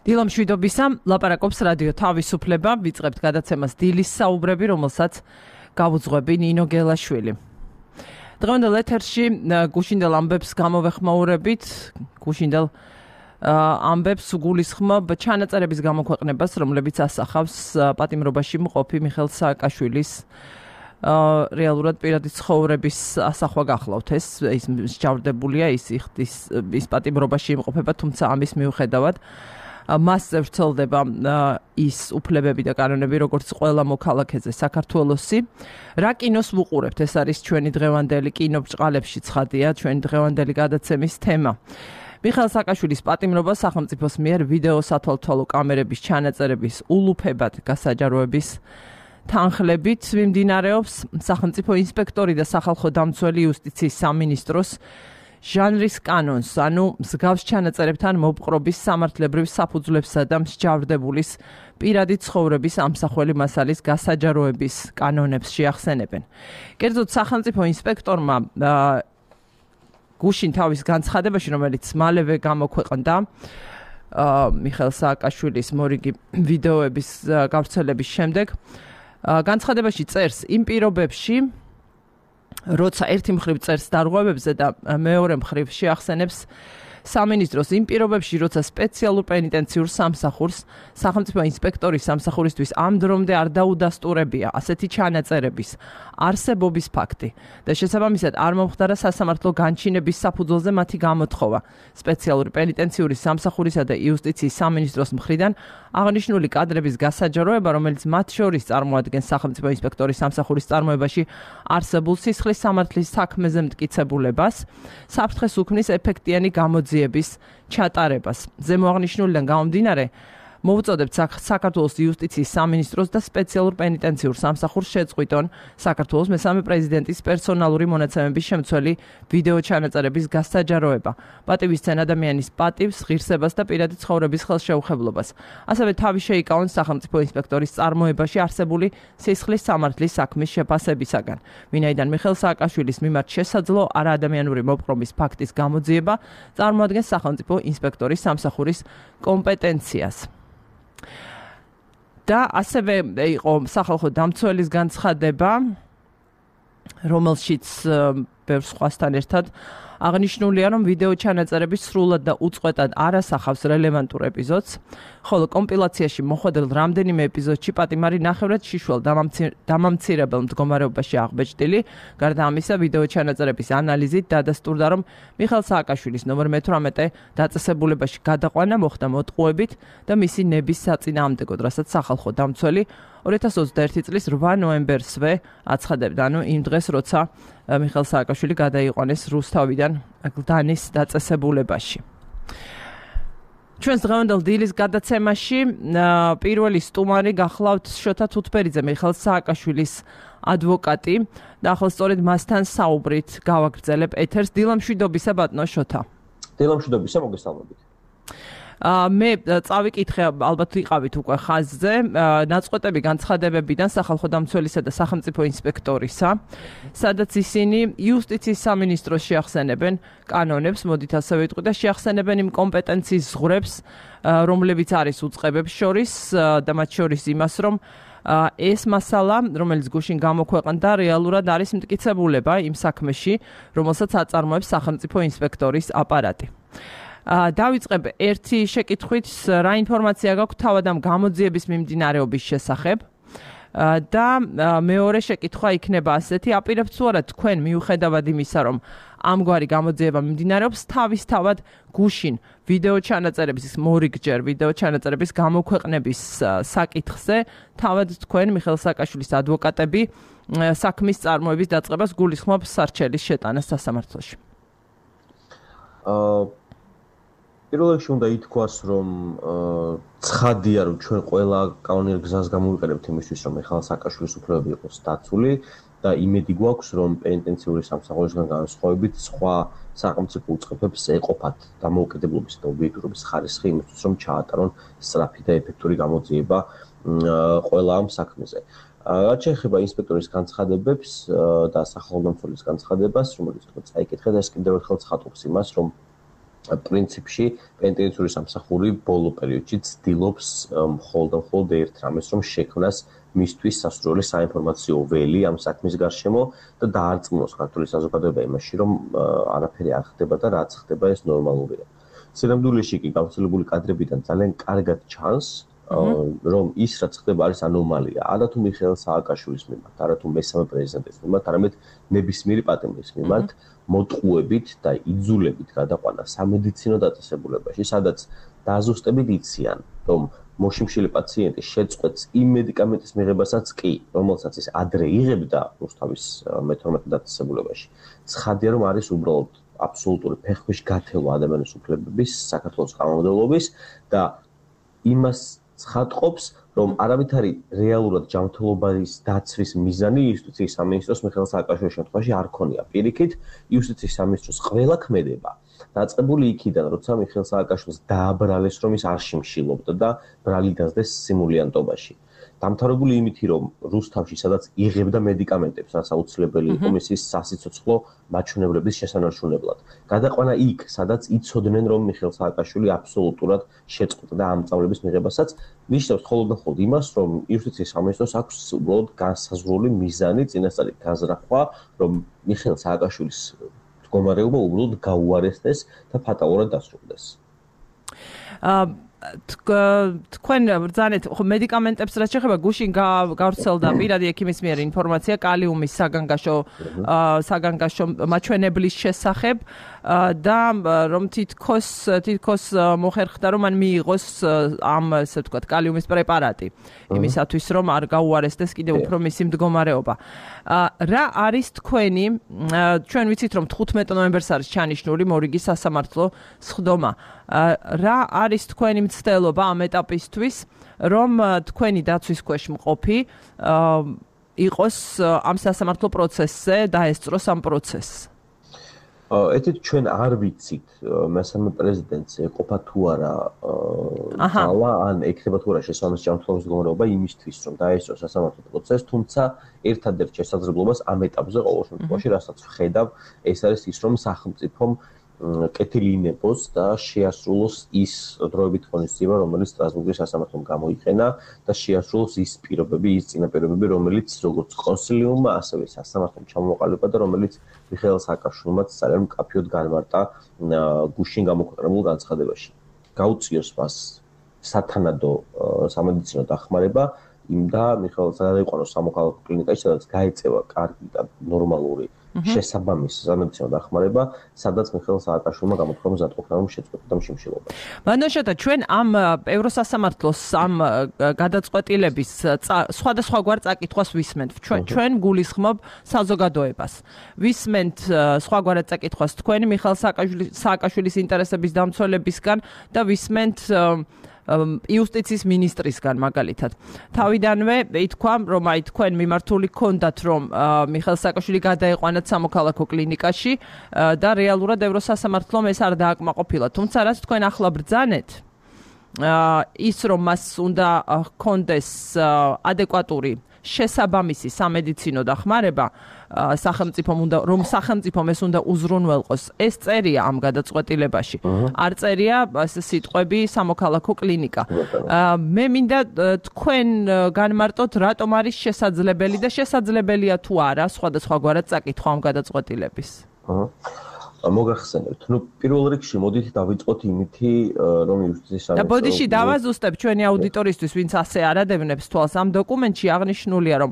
დილამშვიდობისა, ლაპარაკობს რადიო თავისუფლება, ვიწყებთ გადაცემას დილის საუბრები, რომელსაც გავუძღვები ნინო გელაშვილი. დღევანდელ ეთერში გუშინდელ ამბებს გამოვეხმაურებით, გუშინდელ ამბებს გულისხმობ ჩანაწერების გამოქვეყნებას, რომლებიც ასახავს პატიმრობაში მყოფი მიხეილ სააკაშვილის რეალურად პირადი ცხოვრების ასახვა გახლავთ ეს მსჯავრდებულია ის პატიმრობაში იმყოფება, თუმცა ამის მიუხედავად მასზე ვრცელდება ის უფლებები და კანონები, როგორც ყველა მოქალაქეზე საქართველოსი. რა კინოს ვუყურებთ? ეს არის ჩვენი დღევანდელი კინობრწყალებში ცხადია, ჩვენი დღევანდელი გადაცემის თემა. მიხეილ სააკაშვილის პატიმრობა სახელმწიფოს მიერ ვიდეო სათვალთვალო კამერების ჩანაწერების ულუფებად გასაჯაროების თანხლებით მიმდინარეობს. სახელმწიფო ინსპექტორი და სახალხო დამცველი იუსტიციის სამინისტროს ჟანრის კანონს, ანუ მსგავს ჩანაწერებთან მოპყრობის სამართლებრივ საფუძვლებსა და მსჯავრდებულის პირადი ცხოვრების ამსახველი მასალის გასაჯაროების კანონებს შეახსენებენ. კერძოდ სახელმწიფო ინსპექტორმა გუშინ თავის განცხადებაში, რომელიც მალევე გამოქვეყნდა მიხეილ სააკაშვილის მორიგი ვიდეოების გავრცელების შემდეგ, განცხადებაში წერს იმ პირობებში, როცა ერთი მხრივ წერს დარღვევებზე და მეორე მხრივ შეახსენებს სამინისტროს იმ პირობებში, როცა სპეციალურ პენიტენციურ სამსახურს სახელმწიფო ინსპექტორის სამსახურისთვის ამ დრომდე არ დაუდასტურებია ასეთი ჩანაწერების არსებობის ფაქტი და შესაბამისად არ მომხდარა სასამართლო განჩინების საფუძველზე მათი გამოთხოვა სპეციალური პენიტენციური სამსახურისა და იუსტიციის სამინისტროს მხრიდან აღნიშნული კადრების გასაჯაროება, რომელიც მათ შორის წარმოადგენს სახელმწიფო ინსპექტორის სამსახურის წარმოებაში არსებულ სისხლის სამართლის საქმეზე მტკიცებულებას, საფრთხეს უქმნის ეფექტიანი გამოძიების ჩატარებას. ზემო აღნიშნულიდან გამომდინარე, მოვუწოდებთ საქართველოს იუსტიციის სამინისტროს და სპეციალურ პენიტენციურ სამსახურს შეწყვიტონ საქართველოს მესამე პრეზიდენტის პერსონალური მონაცემების შემცველი ვიდეო ჩანაწერების გასაჯაროება, პატივისცენ ადამიანის პატივს, ღირსებას და პირადი ცხოვრების ხელშეუხებლობას. ასევე თავი შეიკავონ სახელმწიფო ინსპექტორის წარმოებაში არსებული სისხლის სამართლის საქმის შეფასებისაგან. ვინაიდან მიხეილ სააკაშვილის მიმართ შესაძლო არაადამიანური მოპყრობის ფაქტის გამოძიება წარმოადგენს სახელმწიფო ინსპექტორის სამსახურის კომპეტენციას. და ასევე იყო სახალხო დამცველის განცხადება, რომელშიც ბევრ სხვასთან ერთად აღნიშნულია, რომ ვიდეო ჩანაწერები სრულად და უწყვეტად არ ასახავს რელევანტურ ეპიზოდს, ხოლო კომპილაციაში მოხვედრილ რამდენიმე ეპიზოდში პატიმარი ნახევრად შიშველ დამამცირებელ მდგომარეობაში აღბეჭდილი. გარდა ამისა, ვიდეო ჩანაწერების ანალიზით დადასტურდა, რომ მიხეილ სააკაშვილის ნომერ 18 დაწესებულებაში გადაყვანა მოხდა მოტყუებით და მისი ნების საწინააღმდეგოდ, რასაც სახალხო დამცველი 2021 წლის 8 ნოემბერსვე აცხადებდა, ანუ იმ დღეს, როცა მიხეილ სააკაშვილი გადაიყვანეს რუსთავიდან გლდანის დაწესებულებაში. ჩვენს დღევანდელ დილის გადაცემაში პირველი სტუმარი გახლავთ შოთა თუთბერიძე, მიხეილ სააკაშვილის ადვოკატი და ახლა სწორედ მასთან საუბრით გავაგრძელებ ეთერს. დილამშვიდობისა ბატონო შოთა. დილამშვიდობისა, მოგესალმებით. მე წავიკითხე, ალბათ ვიყავით უკვე ხაზზე, ნაწყვეტები განცხადებებიდან სახალხო დამცველისა და სახელმწიფო ინსპექტორისა, სადაც ისინი იუსტიციის სამინისტროს შეახსენებენ კანონებს, მოდით ასე ვიტყვი, და შეახსენებენ იმ კომპეტენციის ზღვრებს, რომლებიც არის უწყებებს შორის და მათ შორის იმას, რომ ეს მასალა, რომელიც გუშინ გამოქვეყნდა, რეალურად არის მტკიცებულება იმ საქმეში, რომელსაც აწარმოებს სახელმწიფო ინსპექტორის აპარატი. დავიწყებ ერთი შეკითხვით, რა ინფორმაცია გაქვთ თავად ამ გამოძიების მიმდინარეობის შესახებ და მეორე შეკითხვა იქნება ასეთი, აპირებთ თუ არა თქვენ მიუხედავად იმისა, რომ ამგვარი გამოძიება მიმდინარეობს, თავისთავად გუშინ ვიდეო ჩანაწერების მორიგჯერ ვიდეო ჩანაწერების გამოქვეყნების საკითხზე თავად თქვენ მიხეილ სააკაშვილის ადვოკატები საქმის წარმოების დაწყებას გულისხმობთ სარჩელის შეტანას სასამართლოში. პირველ რიგში უნდა ითქვას, რომ ცხადია, რომ ჩვენ ყველა კანონიერ გზას გამოვიყენებთ იმისთვის, რომ მიხეილ სააკაშვილის უფლებები იყოს დაცული და იმედი გვაქვს, რომ პენიტენციური სამსახურისგან განსხვავებით სხვა სახელმწიფო უწყებებს ეყოფათ დამოუკიდებლობის და ობიექტურობის ხარისხი იმისთვის, რომ ჩაატარონ სწრაფი და ეფექტური გამოძიება ყველა ამ საქმეზე. რაც შეეხება ინსპექტორის განცხადებებს და სახალხო დამცველის განცხადებას, რომელიც თქვენ წაიკითხეთ, ეს კიდევ ერთხელ ცხადობს იმას, რომ პრინციპში პენტენციური სამსახური ბოლო პერიოდში ცდილობს მხოლოდ ერთ რამეს, რომ შექმნას მისთვის სასურველი საინფორმაციო ველი ამ საქმის გარშემო და დაარწმუნოს ქართული საზოგადოება იმაში, რომ არაფერი არ ხდება და რაც ხდება ეს ნორმალურია. სინამდვილეში კი გავრცელებული კადრებიდან ძალიან კარგად ჩანს, რომ ის რაც ხდება არის ანომალია. არა თუ მიხეილ სააკაშვილის მიმართ, არა თუ მესამე პრეზიდენტის მიმართ, არამედ ნებისმიერი პატიმრის მიმართ მოტყუებით და იძულებით გადაყვანა სამედიცინო დაწესებულებაში, სადაც დაზუსტებით იციან, რომ მოშიმშილი პაციენტი შეწყვეტს იმ მედიკამენტის მიღებასაც კი, რომელსაც ის ადრე იღებდა რუსთავის მე-12 დაწესებულებაში. ცხადია, რომ არის უბრალოდ აბსოლუტური ფეხქვეშ გათევა ადამიანის უფლებების საქართველოს კანონმდებლობის და იმას ცხადყოფს, რომ არავითარი რეალურად ჯანმრთელობის დაცვის მიზანი იუსტიციის სამინისტროს მიხეილ სააკაშვილის შემთხვევაში არ ქონია. პირიქით, იუსტიციის სამინისტროს ყველა ქმედება დაწყებული იქიდან, როცა მიხეილ სააკაშვილს დააბრალეს, რომ ის არ შიმშილობდა და ბრალი დასდეს სიმულიანტობაში. დამთავრებული იმითი, რომ რუსთავში, სადაც იღებდა მედიკამენტებს, რაც აუცილებელი იყო მისის სასიცოცხლო მაჩვენებლების შესანარჩუნებლად. გადაყვანა იქ, სადაც იცოდნენ, რომ მიხეილ სააკაშვილი აბსოლუტურად შეწყვეტდა ამ სწავლების მიღებასაც, ნიშნავს მხოლოდ იმას, რომ იუსტიციის სამინისტროს აქვს უბრალოდ განსაზღვრული მიზანი, წინასწარი გაზრახვა, რომ მიხეილ სააკაშვილის მდგომარეობა უბრალოდ გაუარესდეს და ფატალურად დასრულდეს. თქვენ ბრძანეთ მედიკამენტებს რაც შეეხება გუშინ გავრცელდა პირადი ექიმის მიერ ინფორმაცია კალიუმის საგანგაშო მაჩვენებლის შესახებ და რომ თითქოს მოხერხდა რომ მან მიიღოს ამ ესე ვთქვათ კალიუმის პრეპარატი იმისათვის რომ არ გაუარესდეს კიდევ უფრო მისი მდგომარეობა. რა არის თქვენი ჩვენ ვიცით რომ 15 ნოემბერს არის ჩანიშნული მორიგის სასამართლო სხდომა. რა არის თქვენი მცდელობა ამ ეტაპისთვის, რომ თქვენი დაცვის ქვეშ მყოფი იყოს ამ სასამართლო პროცესზე დაესწროს ამ პროცესს? ეთით ჩვენ არ ვიცით მესამე პრეზიდენტს ეყოფა თუ არა ძალა ან ექნება თუ არა შესაბამისი ჯანმრთელობის მდგომარეობა იმისთვის რომ დაესწროს სასამართლო პროცესს, თუმცა ერთადერთ შესაძლებლობას ამ ეტაპზე ყოველ შემთხვევაში რასაც ვხედავ, ეს არის ის რომ სახელმწიფომ კეთილი ინებოს და შეასრულოს ის დროებით ღონისძიება, რომელიც სტრასბურგის სასამართლომ გამოიყენა და შეასრულოს ის პირობები, ის წინაპირობები, რომელიც როგორც კონსილიუმმა, ასევე სასამართლომ ჩამოყალიბა და რომელიც მიხეილ სააკაშვილმაც ძალიან მკაფიოდ განმარტა გუშინ გამოქვეყნებულ განცხადებაში. გაუწიოს მას სათანადო სამედიცინო დახმარება და მიხეილ სააკაშვილს სამოქალაქო კლინიკაში, სადაც გაეწევა კარგი და ნორმალური შესაბამის სამედიცინო დახმარება, სადაც მიხეილ სააკაშვილმა გამოთქვა მზადყოფნა რომ შეწყვეტდა შიმშილობა. მანოშათა ჩვენ ამ ევროსასამართლოს ამ გადაწყვეტილების სხვადასხვაგვარ წაკითხვას ვისმენთ. ჩვენ გულისხმობ საზოგადოებას. ვისმენთ სხვაგვარად წაკითხვას თქვენი მიხეილ სააკაშვილის ინტერესების დამცველებისგან და ვისმენთ იუსტიციის მინისტრისგან მაგალითად. თავიდანვე ითქვა, რომ აი თქვენ მიმართული გქონდათ, რომ მიხეილ სააკაშვილი გადაეყვანათ სამოქალაქო კლინიკაში და რეალურად ევროსასამართლომ ეს არ დააკმაყოფილა. თუმცა რაც თქვენ ახლა ბრძანეთ, ის რომ მას უნდა ჰქონდეს ადეკვატური შესაბამისი სამედიცინო დახმარება, სახელმწიფომ უნდა რომ სახელმწიფომ ეს უნდა უზრუნველყოს. ეს წერია ამ გადაწყვეტილებაში. არ წერია სიტყვები სამოქალაქო კლინიკა. მე მინდა თქვენ განმარტოთ, რატომ არის შესაძლებელი და შესაძლებელია თუ არა სხვადასხვაგვარად წაკითხვა ამ გადაწყვეტილების. მოგახსენებთ. პირველ რიგში მოდით დავიწყოთ იმითი, რომ იუსტიციის სამინისტრო და ბოდიში დავაზუსტებ ჩვენი აუდიტორისთვის, ვინც ასე არადევნებს თვალს ამ დოკუმენტში აღნიშნულია, რომ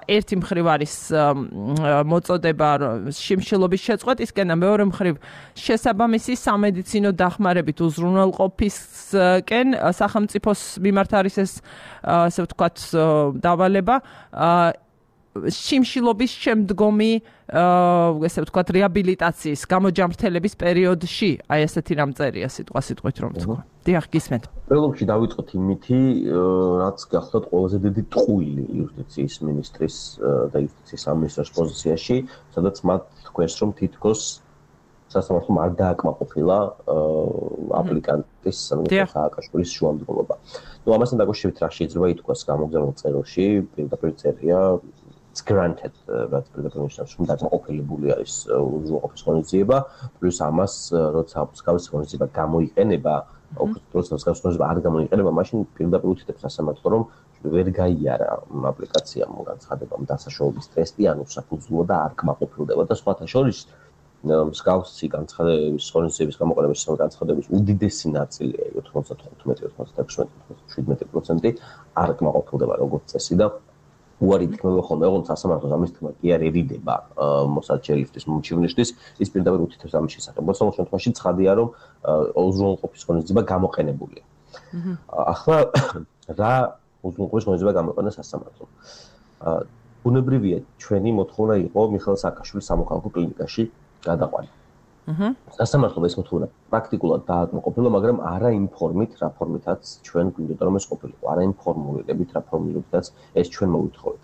ერთი მხრივ არის მოწოდება შიმშილობის შეწყვეტისკენ და მეორე მხრივ შესაბამისი სამედიცინო დახმარებით უზრუნველყოფისკენ სახელმწიფოს მიმართ არის ეს ასე ვთქვათ დავალება შიმშილობის შემდგომი ესე ვთქვათ რეაბილიტაციის გამოჯამრთელების პერიოდში აი ესეთი რამ წერია სიტყვით რომ თქვა. დიახ, გისმენთ. პროლოგში დავიწყოთ იმითი, რაც გახლავთ ყველაზე დიდი ტყუილი იუსტიციის მინისტრის და იუსტიციის სამინისტროს პოზიციაში, სადაც მათ თქვენს რომ თითქოს სასამართლომ არ დააკმაყოფილა აპლიკანტის მიხეილ სააკაშვილის შუამდგომლობა. ამასთან დაკავშირებით რა შეიძლება ითქვას გამოგზავნილ წერილში, პირდაპირ წერია it's granted რაც პრედაპრონიშნავს რომ დაკმაყოფილებული არის უზრუნველყოფის ღონისძიება პლუს ამას როცა მსგავსი ღონისძიება გამოიყენება როცა მსგავსი ღონისძიება არ გამოიყენება მაშინ პირდაპირ უთითებს სასამართლო რომ ვერ გაიარა აპლიკაციამ განცხადებამ დასაშოობის ტესტი ანუ საფუძვლო და არ კმაყოფილდება და სხვათა შორის მსგავსი განცხადების ღონისძიების გამოყენების განცხადების უდიდესი ნაწილია 95-96-97% არ კმაყოფილდება როგორც წესი და უარი თქმება ხოლმე ოღონდ სასამართლოს ამის თქმა კი არ ერიდება მოსარჩელისთვის მომჩივნიშთვის ის პირდაპირ უთითებს ამის შესახებ მოსავალ შემთხვევაში ცხადია რომ უზრუნველყოფის ღონისძიება გამოყენებულია ახლა რა უზრუნველყოფის ღონისძიება გამოიყენა სასამართლომ ბუნებრივია ჩვენი მოთხოვნა იყო მიხეილ სააკაშვილის სამოქალაქო კლინიკაში გადაყვანა. სასამართლომ ეს მოთხოვნა პრაქტიკულად დააკმაყოფილა, მაგრამ არა იმ ფორმით, რა ფორმითაც ჩვენ გვინდოდა რომ ეს ყოფილიყო, არა იმ ფორმულირებით, რა ფორმულირებითაც ეს ჩვენ მოვითხოვეთ.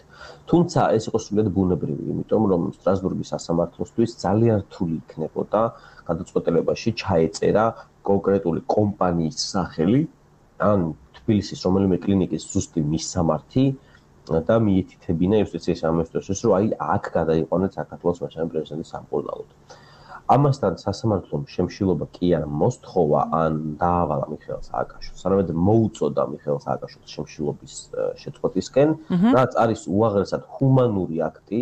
თუმცა ეს იყო სრულიად ბუნებრივი, იმიტომ რომ სტრასბურგის სასამართლოსთვის ძალიან რთული იქნებოდა გადაწყვეტილებაში ჩაეწერა კონკრეტული კომპანიის სახელი, ან თბილისის რომელიმე კლინიკის ზუსტი მისამართი და მიეთითებინა იუსტიციის სამინისტროს რომ აი აქ გადაიყვანეთ საქართველოს მაშინ პრეზიდენტის სამკურნალოდ. ამასთან სასამართლომ შემშილობა კი არ მოსთხოვა ან დაავალა მიხეილ სააკაშვილს, არამედ მოუწოდა მიხეილ სააკაშვილს შემშილობის შეწყვეტისკენ, რაც არის უაღრესად ჰუმანური აქტი.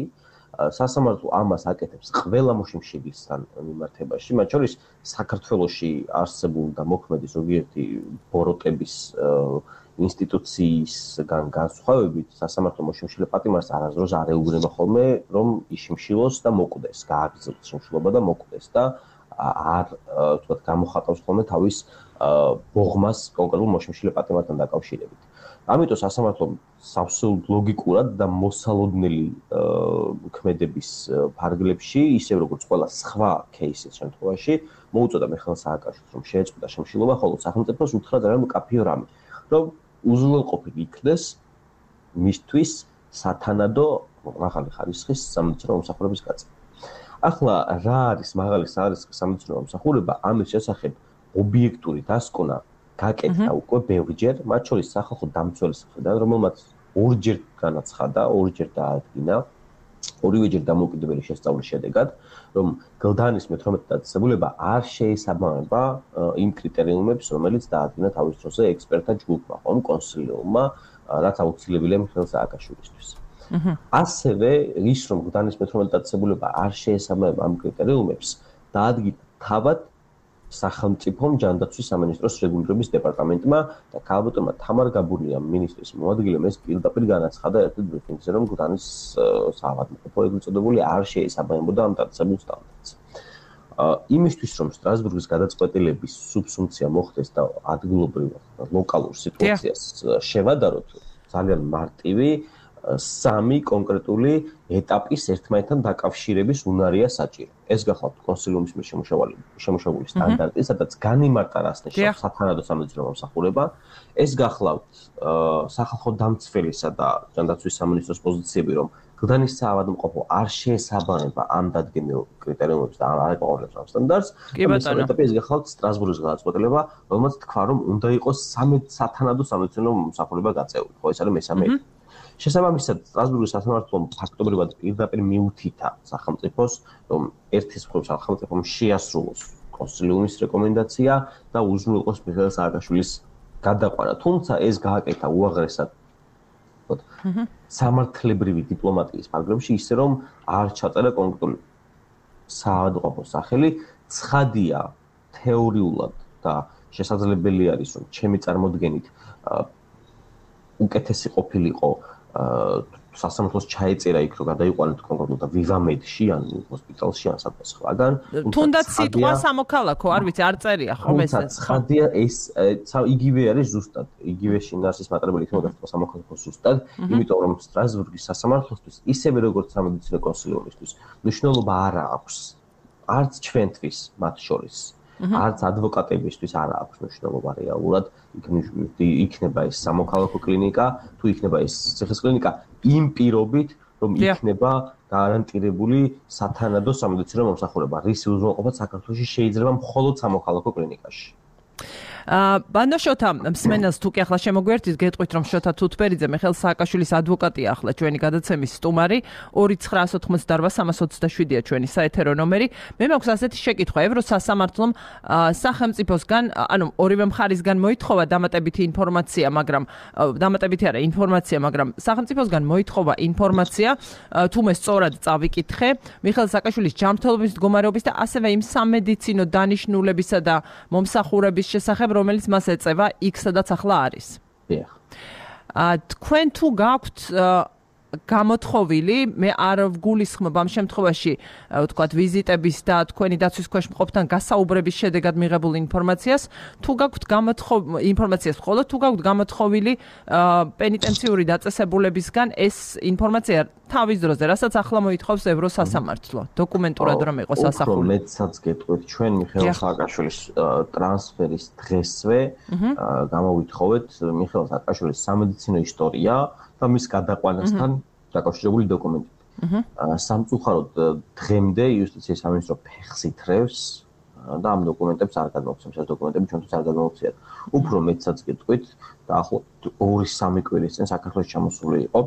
სასამართლო ამას აკეთებს ყველა მოშიმშილისთან მიმართებაში, მათ შორის საქართველოში არსებულ და მოქმედი ზოგიერთი ბოროტების ინსტიტუციისგან განსხვავებით სასამართლო მოშიმშილე პატიმარს არასდროს არ ეუბნება ხოლმე რომ იშიმშილოს და მოკვდეს, გააგრძელოს შიმშილობა და მოკვდეს და არ თქვათ გამოხატავს ხოლმე თავის ბოღმას კონკრეტულ მოშიმშილე პატიმართან დაკავშირებით. ამიტომ სასამართლომ სავსეულად ლოგიკურად და მოსალოდნელი ქმედების ფარგლებში, ისევ როგორც ყველა სხვა кейსის შემთხვევაში, მოუწოდა მიხეილ სააკაშვილს რომ შეეწყვეტა შემშილობა, ხოლო სახელმწიფოს უთხრა ძალიან მკაფიო რამე, რომ უზრუნველყოფილი იქნეს მისთვის სათანადო მაღალი ხარისხის სამედიცინო მომსახურების გაწევა. ახლა რა არის მაღალი ხარისხის სამედიცინო მომსახურება? ამის შესახებ ობიექტური დასკვნა გაკეთდა უკვე ბევრჯერ, მათ შორის სახალხო დამცველის მხრიდან, რომელმაც ორჯერ განაცხადა, ორჯერ დაადგინა, ორივეჯერ დამოუკიდებელი შესწავლის შედეგად, რომ გლდანის მე-18 დაწესებულება არ შეესაბამება იმ კრიტერიუმებს, რომელიც დაადგინა თავის დროზე ექსპერტთა ჯგუფმა, ხომ კონსილიუმმა, რაც აუცილებელია მიხეილ სააკაშვილისთვის. ასევე ის, რომ გლდანის მე-18 დაწესებულება არ შეესაბამება ამ კრიტერიუმებს, დაადგინა თავად სახელმწიფომ ჯანდაცვის სამინისტროს რეგულირების დეპარტამენტმა და ქალბატონმა თამარ გაბურიამ მინისტრის მოადგილემ ეს პირდაპირ განაცხადა ერთ ბრიფინგზე, რომ გლდანის საავადმყოფო ეგრეთ წოდებული არ შეესაბამებოდა ამ დაწესებულ სტანდარტს. იმისთვის, რომ სტრასბურგის გადაწყვეტილების სუბსუმცია მოხდეს და ადგილობრივ ლოკალურ სიტუაციას შევადაროთ, ძალიან მარტივი სამი კონკრეტული ეტაპის ერთმანეთთან დაკავშირების უნარია საჭირო. ეს გახლავთ კონსილიუმის მიერ შემუშავებული სტანდარტი, სადაც განიმარტა რას ნიშნავს სათანადო სამედიცინო მომსახურება. ეს გახლავთ სახალხო დამცველისა და ჯანდაცვის სამინისტროს პოზიციები, რომ გლდანის საავადმყოფო არ შეესაბამება ამ დადგენილ კრიტერიუმებს და არ აკმაყოფილებს ამ სტანდარტს. მესამე ეტაპი ეს გახლავთ სტრასბურგის გადაწყვეტილება, რომელმაც თქვა, რომ უნდა იყოს სათანადო სამედიცინო მომსახურება გაწეული. ხო, ეს არის მესამე ეტაპი. შესაბამისად, სტრასბურგის სასამართლომ ფაქტობრივად პირდაპირ მიუთითა სახელმწიფოს, რომ ერთის მხრივ სახელმწიფომ შეასრულოს კონსილიუმის რეკომენდაცია და უზრუნველყოს მიხეილ სააკაშვილის გადაყვანა. თუმცა ეს გააკეთა უაღრესად სამართლებრივი დიპლომატიის ფარგლებში, ისე რომ არ ჩაწერა კონკრეტული საავადმყოფოს სახელი, ცხადია თეორიულად და შესაძლებელი არის, რომ ჩემი წარმოდგენით უკეთესი ყოფილიყო სასამართლოს ჩაეწერა იქ, რომ გადაიყვანეთ კონკრეტულად ვივამედში ან ჰოსპიტალში ან სადღაც სხვაგან. თუნდაც სიტყვა სამოქალაქო, არ ვიცი, არ წერია ხომ ეს. ცხადია ეს იგივე არის ზუსტად. იგივე შინაარსის მატერიალი იქნება და სამოქალაქო ზუსტად, იმიტომ რომ სტრასბურგის სასამართლოსთვის ისევე როგორც სამედიცინო კონსილიუმისთვის მნიშვნელობა არ აქვს. არც ჩვენთვის მათ შორის. არც ადვოკატებისთვის არ აქვს მნიშვნელობა რეალურად, იქნება ეს სამოქალაქო კლინიკა, თუ იქნება ეს ციხის კლინიკა, იმ პირობით, რომ იქნება გარანტირებული სათანადო სამედიცინო მომსახურება, რის უზრუნველყოფა საქართველოში შეიძლება მხოლოდ სამოქალაქო კლინიკაში. ბანო შოთა მსმენელს თუ კი ახლა შემოგვერთით გეტყვით რომ შოთა თუთბერიძე მიხეილ სააკაშვილის ადვოკატია ახლა ჩვენი გადაცემის სტუმარი 2988327-ია ჩვენი საეთერო ნომერი. მე მაქვს ასეთი შეკითხვა ევროსასამართლომ სახელმწიფოსგან ანუ ორივე მხარისგან მოითხოვა დამატებითი ინფორმაცია მაგრამ სახელმწიფოსგან მოითხოვა ინფორმაცია თუ მე სწორად წავიკითხე მიხეილ სააკაშვილის ჯანმრთელობის მდგომარეობის და ასევე იმ სამედიცინო დანიშნულებისა და მომსახურების შესახებ რომელიც მას ეწევა იქ სადაც ახლა არის. დიახ. თქვენ თუ გაქვთ გამოთხოვილი მე არ ვგულისხმობ ამ შემთხვევაში ვთქვათ ვიზიტების და თქვენი დაცვის ქვეშ მყოფთან გასაუბრების შედეგად მიღებულ ინფორმაციას თუ გაქვთ ინფორმაციას მხოლოდ თუ გაქვთ გამოთხოვილი პენიტენციური დაწესებულებისგან ეს ინფორმაცია თავის დროზე რასაც ახლა მოითხოვს ევროსასამართლო დოკუმენტურად რომ იყოს ასახული. უფრო მეტსაც გეტყვით ჩვენ მიხეილ სააკაშვილის ტრანსფერის დღესვე გამოვითხოვეთ მიხეილ სააკაშვილის სამედიცინო ისტორია და მის გადაყვანასთან დაკავშირებული დოკუმენტები. სამწუხაროდ დღემდე იუსტიციის სამინისტრო ფეხს ითრევს და ამ დოკუმენტებს არ გადმოგვცემს. ეს დოკუმენტები ჩვენთვის არ გადმოგვცემთ. უფრო მეტსაც გეტყვით დაახლოებით 2-3 კვირის წინ საქართველოს ჩამოსული იყო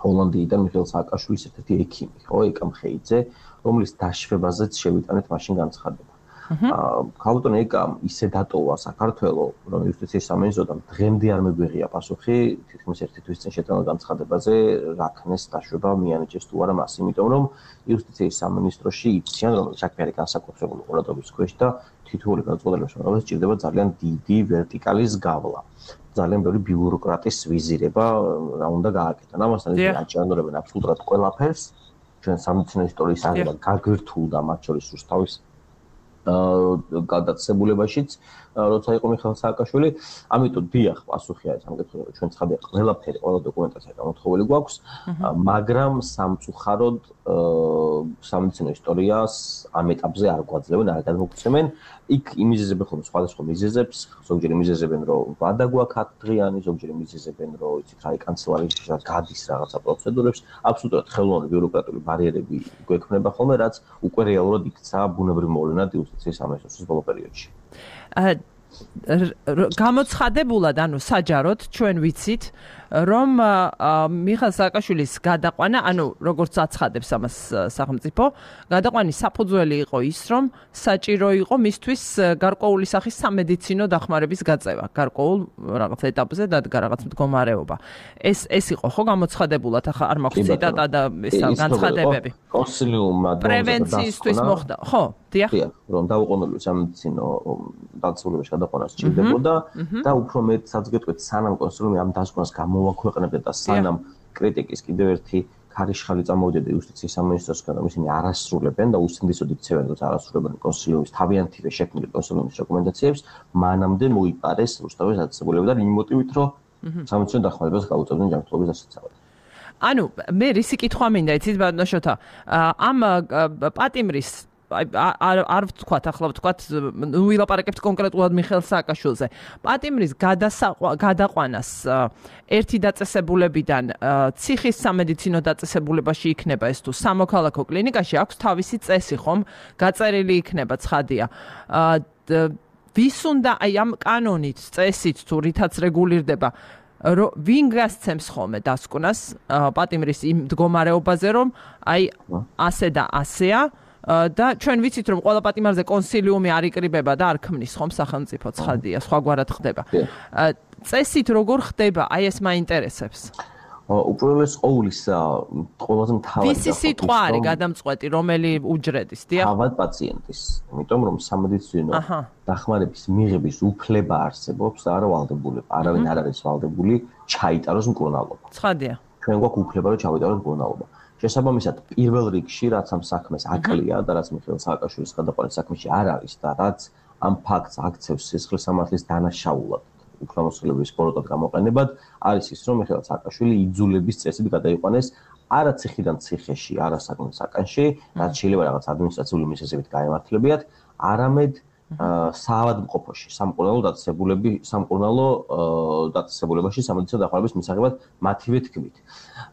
ჰოლანდიიდან მიხეილ სააკაშვილის ერთ-ერთი ექიმი, ხო, ეკა მხეიძე, რომლის დაშვებაზეც შევიტანეთ მაშინ განცხადება. ქალბატონ ეკამ ისე დატოვა საქართველოს, რომ იუსტიციის სამინისტროდან დღემდე არ მეგვიღია პასუხი, თითქმის ერთი თვის წინ შეტანა განცხადებაზე, რა ქნეს დაშვება მიანიჭეს თუ არა მას, იმიტომ რომ იუსტიციის სამინისტროში იციან, რომ საქმე არის განსაკუთრებული ყურადღების ქვეშ და თითოეული გადაწყვეტილების მომავალს სჭირდება ძალიან დიდი ვერტიკალის გავლა. ძალიან ბევრი ბიუროკრატის ვიზირება რა უნდა გააკეთონ. ამასთან ისე აჭარბებენ აბსოლუტურად ყველაფერს. ჩვენ სამედიცინო ისტორიის აღება გაგვირთულდა მათ შორის რუსთავის გადაწესებულებაშიც როცა იყო მიხეილ სააკაშვილი, ამიტომ დიახ პასუხი არის ამ კითხვაზე, ჩვენ ცხადია ყველაფერი, ყველა დოკუმენტაცია გამოთხოვილი გვაქვს, მაგრამ სამწუხაროდ სამედიცინო ისტორიას ამ ეტაპზე არ გვაძლევენ, არ გადმოგცემენ. იქ იმიზეზებენ ხოლმე სხვადასხვა მიზეზებს, ზოგჯერ იმიზეზებენ, რომ ვადა გვაქვს 10 დღიანი, ზოგჯერ იმიზეზებენ, რომ იცით რა კანცელარიაში გადის რაღაცა პროცედურებს, აბსოლუტურად ხელოვნური ბიუროკრატიული ბარიერები გვექმნება ხოლმე, რაც უკვე რეალურად იქცა ბუნებრივ მოვლენად იუსტიციის სამინისტროს ბოლო პერიოდში. გამოცხადებულად, ანუ საჯაროდ ჩვენ ვიცით, რომ მიხეილ სააკაშვილის გადაყვანა, ანუ როგორც აცხადებს ამას სახელმწიფო, გადაყვანის საფუძველი იყო ის, რომ საჭირო იყო მისთვის გარკვეული სახის სამედიცინო დახმარების გაწევა, გარკვეულ რაღაც ეტაპზე დადგა რაღაც მდგომარეობა. ეს იყო ხო გამოცხადებულად, ახლა არ მაქვს ციტატა და ეს განცხადებები. კონსილიუმმა პრევენციისთვის მოხდა, ხო? დიახ, რომ დაუყოვნებლივ სამედიცინო დაწესებულებაში გადაყვანა სჭირდებოდა და უფრო მეტსაც გეტყვით, სანამ კონსილიუმი ამ დასკვნას გამოვაქვეყნებდა და სანამ კრიტიკის კიდევ ერთი ქარიშხალი წამოვიდოდა იუსტიციის სამინისტროსგან, რომ ისინი არასრულებენ და უსინდისოდ იქცევენ, რომ არასრულებენ კონსილიუმის თავიანთივე შექმნილი კონსილიუმის რეკომენდაციებს, მანამდე მოიპარეს რუსთავის დაწესებულება და იმ მოტივით, რომ სამედიცინო დახმარებას გაუწევდნენ ჯანმრთელობის დასაცავად. ანუ მე რისი კითხვა მინდა, იცით ბატონო შოთა, ამ პატიმრის არ ვთქვათ, ახლა ვთქვათ, ვილაპარაკებთ კონკრეტულად მიხეილ სააკაშვილზე. პატიმრის გადაყვანას ერთი დაწესებულებიდან ციხის სამედიცინო დაწესებულებაში იქნება ეს თუ სამოქალაქო კლინიკაში აქვს თავისი წესი, ხომ? გაწერილი იქნება, ცხადია. ვის უნდა აი ამ კანონით, წესით თუ რითაც რეგულირდება ვინ გასცემს ხოლმე დასკვნას პატიმრის იმ მდგომარეობაზე, რომ აი ასე და ასეა და ჩვენ ვიცით, რომ ყველა პატიმარზე კონსილიუმი არ იკრიბება და არ ქმნის ხომ სახელმწიფო, ცხადია, სხვაგვარად ხდება. წესით როგორ ხდება, აი ეს მაინტერესებს. უპირველეს ყოვლისა, ყველაზე მთავარი ვისი სიტყვა არის გადამწყვეტი, რომელი უჯრედის, დიახ? თავად პაციენტის, იმიტომ რომ სამედიცინო დახმარების მიღების უფლება არსებობს და არა ვალდებულება. არავინ არ არის ვალდებული ჩაიტაროს მკურნალობა. ცხადია. ჩვენ გვაქვს უფლება, რომ ჩავიტაროთ მკურნალობა. შესაბამისად, პირველ რიგში, რაც ამ საქმეს აკლია და რაც მიხეილ სააკაშვილის გადაყვანის საქმეში არ არის და რაც ამ ფაქტს აქცევს სისხლის სამართლის დანაშაულად უფლებამოსილების ბოროტად გამოყენებად, არის ის, რომ მიხეილ სააკაშვილი იძულების წესით გადაიყვანეს არა ციხიდან ციხეში, არა საკუთარ საკანში, რაც შეიძლება რაღაც ადმინისტრაციული მიზეზებით გაემართლებიათ, არამედ საავადმყოფოში, სამკურნალო დაწესებულებაში სამედიცინო დახმარების მისაღებად მათივე თქმით.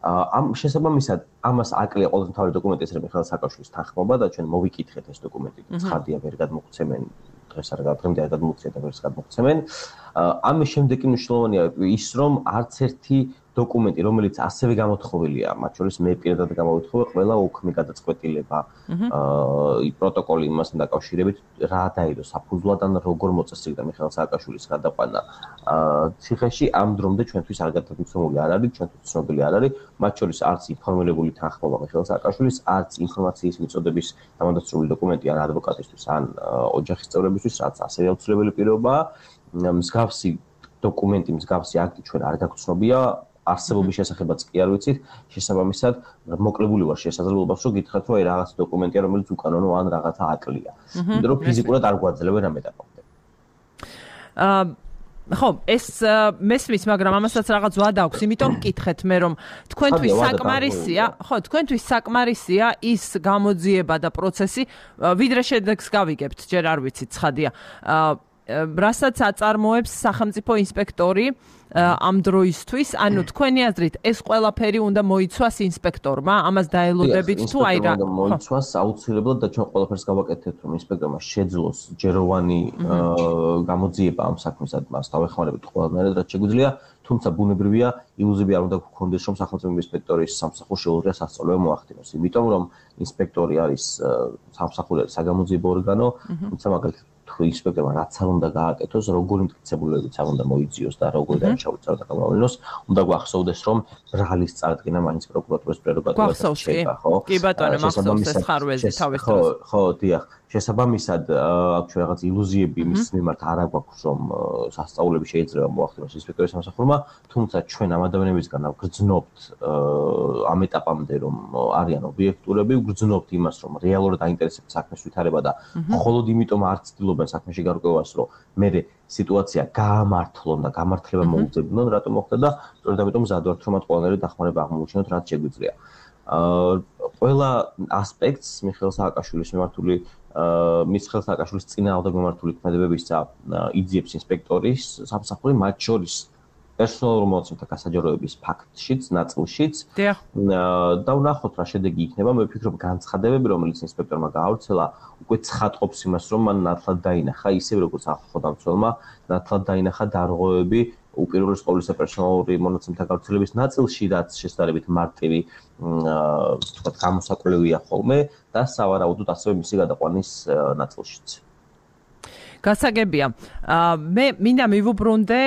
ამ შესაბამისად, ამას აკლია ყოველთვის მთავარი დოკუმენტი, ეს მიხეილ სააკაშვილის თანხმობა და ჩვენ მოვიკითხეთ ეს დოკუმენტი. ცხადია, ვერ გადმოგცემენ დღეს არ გადმოგვცემენ და გადმოგვცემენ და ვერც გადმოგვცემენ. ამის შემდეგ კი მნიშვნელოვანია ის, რომ არც ერთი დოკუმენტი, რომელიც ასევე გამოთხოვილია, მათ შორის მე პირადად გამოვთხოვე ყველა უქმე გადაწყვეტილება, პროტოკოლი იმასთან დაკავშირებით, რა დაიდო საფუძვლად ან როგორ მოწესრიგდა მიხეილ სააკაშვილის გადაყვანა ციხეში, ამ დრომდე ჩვენთვის არ გადამცემული არ არის, ჩვენთვის ცნობილი არ არის, მათ შორის არც ინფორმირებული თანხმობა მიხეილ სააკაშვილის, არც ინფორმაციის მიწოდების დამადასტურებული დოკუმენტი ან ადვოკატისთვის, ან ოჯახის წევრებისთვის, რაც ასევე აუცილებელი პირობაა. მსგავსი დოკუმენტი, მსგავსი აქტი ჩვენ არ გაგცნობია. არსებობის შესახებაც კი არ ვიცით, შესაბამისად, მოკლებული ვარ შესაძლებლობას, რომ გითხრათ, რომ აი რაღაც დოკუმენტია, რომელიც უკანონო ან რაღაცა აკლია. იმიტომ რომ ფიზიკურად არ გვაძლევენ ამ ეტაპამდე. ხო, ეს მესმის, მაგრამ ამასაც რაღაც ვადა აქვს, იმიტომ მკითხეთ მე, რომ თქვენთვის საკმარისია, ხო, თქვენთვის საკმარისია ის გამოძიება და პროცესი, ვიდრე შედეგს გავიგებთ, ჯერ არ ვიცით, ცხადია. რასაც აწარმოებს სახელმწიფო ინსპექტორი ამ დროისთვის, ანუ თქვენი აზრით ეს ყველაფერი უნდა მოიცვას ინსპექტორმა, ამას დაელოდებით თუ აი რა? მოიცვას აუცილებლად და ჩვენ ყველაფერს გავაკეთებთ, რომ ინსპექტორმა შეძლოს ჯეროვანი გამოძიება ამ საქმისად, მას დავეხმარებით ყველანაირად, რაც შეგვიძლია, თუმცა ბუნებრივია, ილუზიები არ უნდა გქონდეს, რომ სახელმწიფო ინსპექტორის სამსახურს შეუძლია სასწავლებელი მოახდინოს, იმიტომ რომ ინსპექტორი არის სამსახურიანი საგამოძიებო ორგანო, თუმცა მაგალითად თუ ინსპექტორმა რაც არ უნდა გააკეთოს, როგორი მტკიცებულებიც არ უნდა მოიძიოს და როგორი დაჩაუწევს და გამოავლინოს, უნდა გვახსოვდეს, რომ ბრალის წარდგენა მაინც პროკურატურის პრეროგატივას შეება, ხო? კი ბატონო, მახსოვს ეს ხარვეზი თავის დროს. ხო, დიახ. შესაბამისად, აქ რაღაც ილუზიები მის მიმართ არ აქვს, რომ სასწაულები შეიძლება მოახდინოს ინსპექტორის სამსახურმა, თუმცა ჩვენ ამ ადამიანებისგან ვგრძნობთ ამ ეტაპამდე, რომ არიან ობიექტურები, ვგრძნობთ იმას, რომ რეალურად აინტერესებს საქმის ვითარება და მხოლოდ იმიტომ არ ცდილობენ საქმეში გარკვევას, რომ მე სიტუაცია გაამართლონ და გამართლება მოუძებნონ, რატომ მოხდა და სწორედ ამიტომ მზად ვართ, რომ მათ ყველანაირი დახმარება აღმოუჩინოთ, რაც შეგვიძლია. ყველა ასპექტს მიხეილ სააკაშვილის მიმართული მიხეილ სააკაშვილის წინააღმდეგ მიმართული ქმედებებისა იძიებს ინსპექტორის სამსახური, მათ შორის პერსონალურ მონაცემთა გასაჯაროების ფაქტშიც, ნაწილშიც და ვნახოთ რა შედეგი იქნება. მე ვფიქრობ, განცხადებები, რომელიც ინსპექტორმა გაავრცელა, უკვე ცხადყოფს იმას, რომ მან ნათლად დაინახა, ისევე როგორც ახალ დამცველმა ნათლად დაინახა დარღვევები უპირველეს ყოვლისა პერსონალური მონაცემთა გავრცელების ნაწილში, რაც შესაძლებელი მარტივი თქვა გამოსაკვლევია ხოლმე და სავარაუდოდ ასევე მისი გადაყვანის ნაწილშიც. გასაგებია. მე მინდა მივუბრუნდე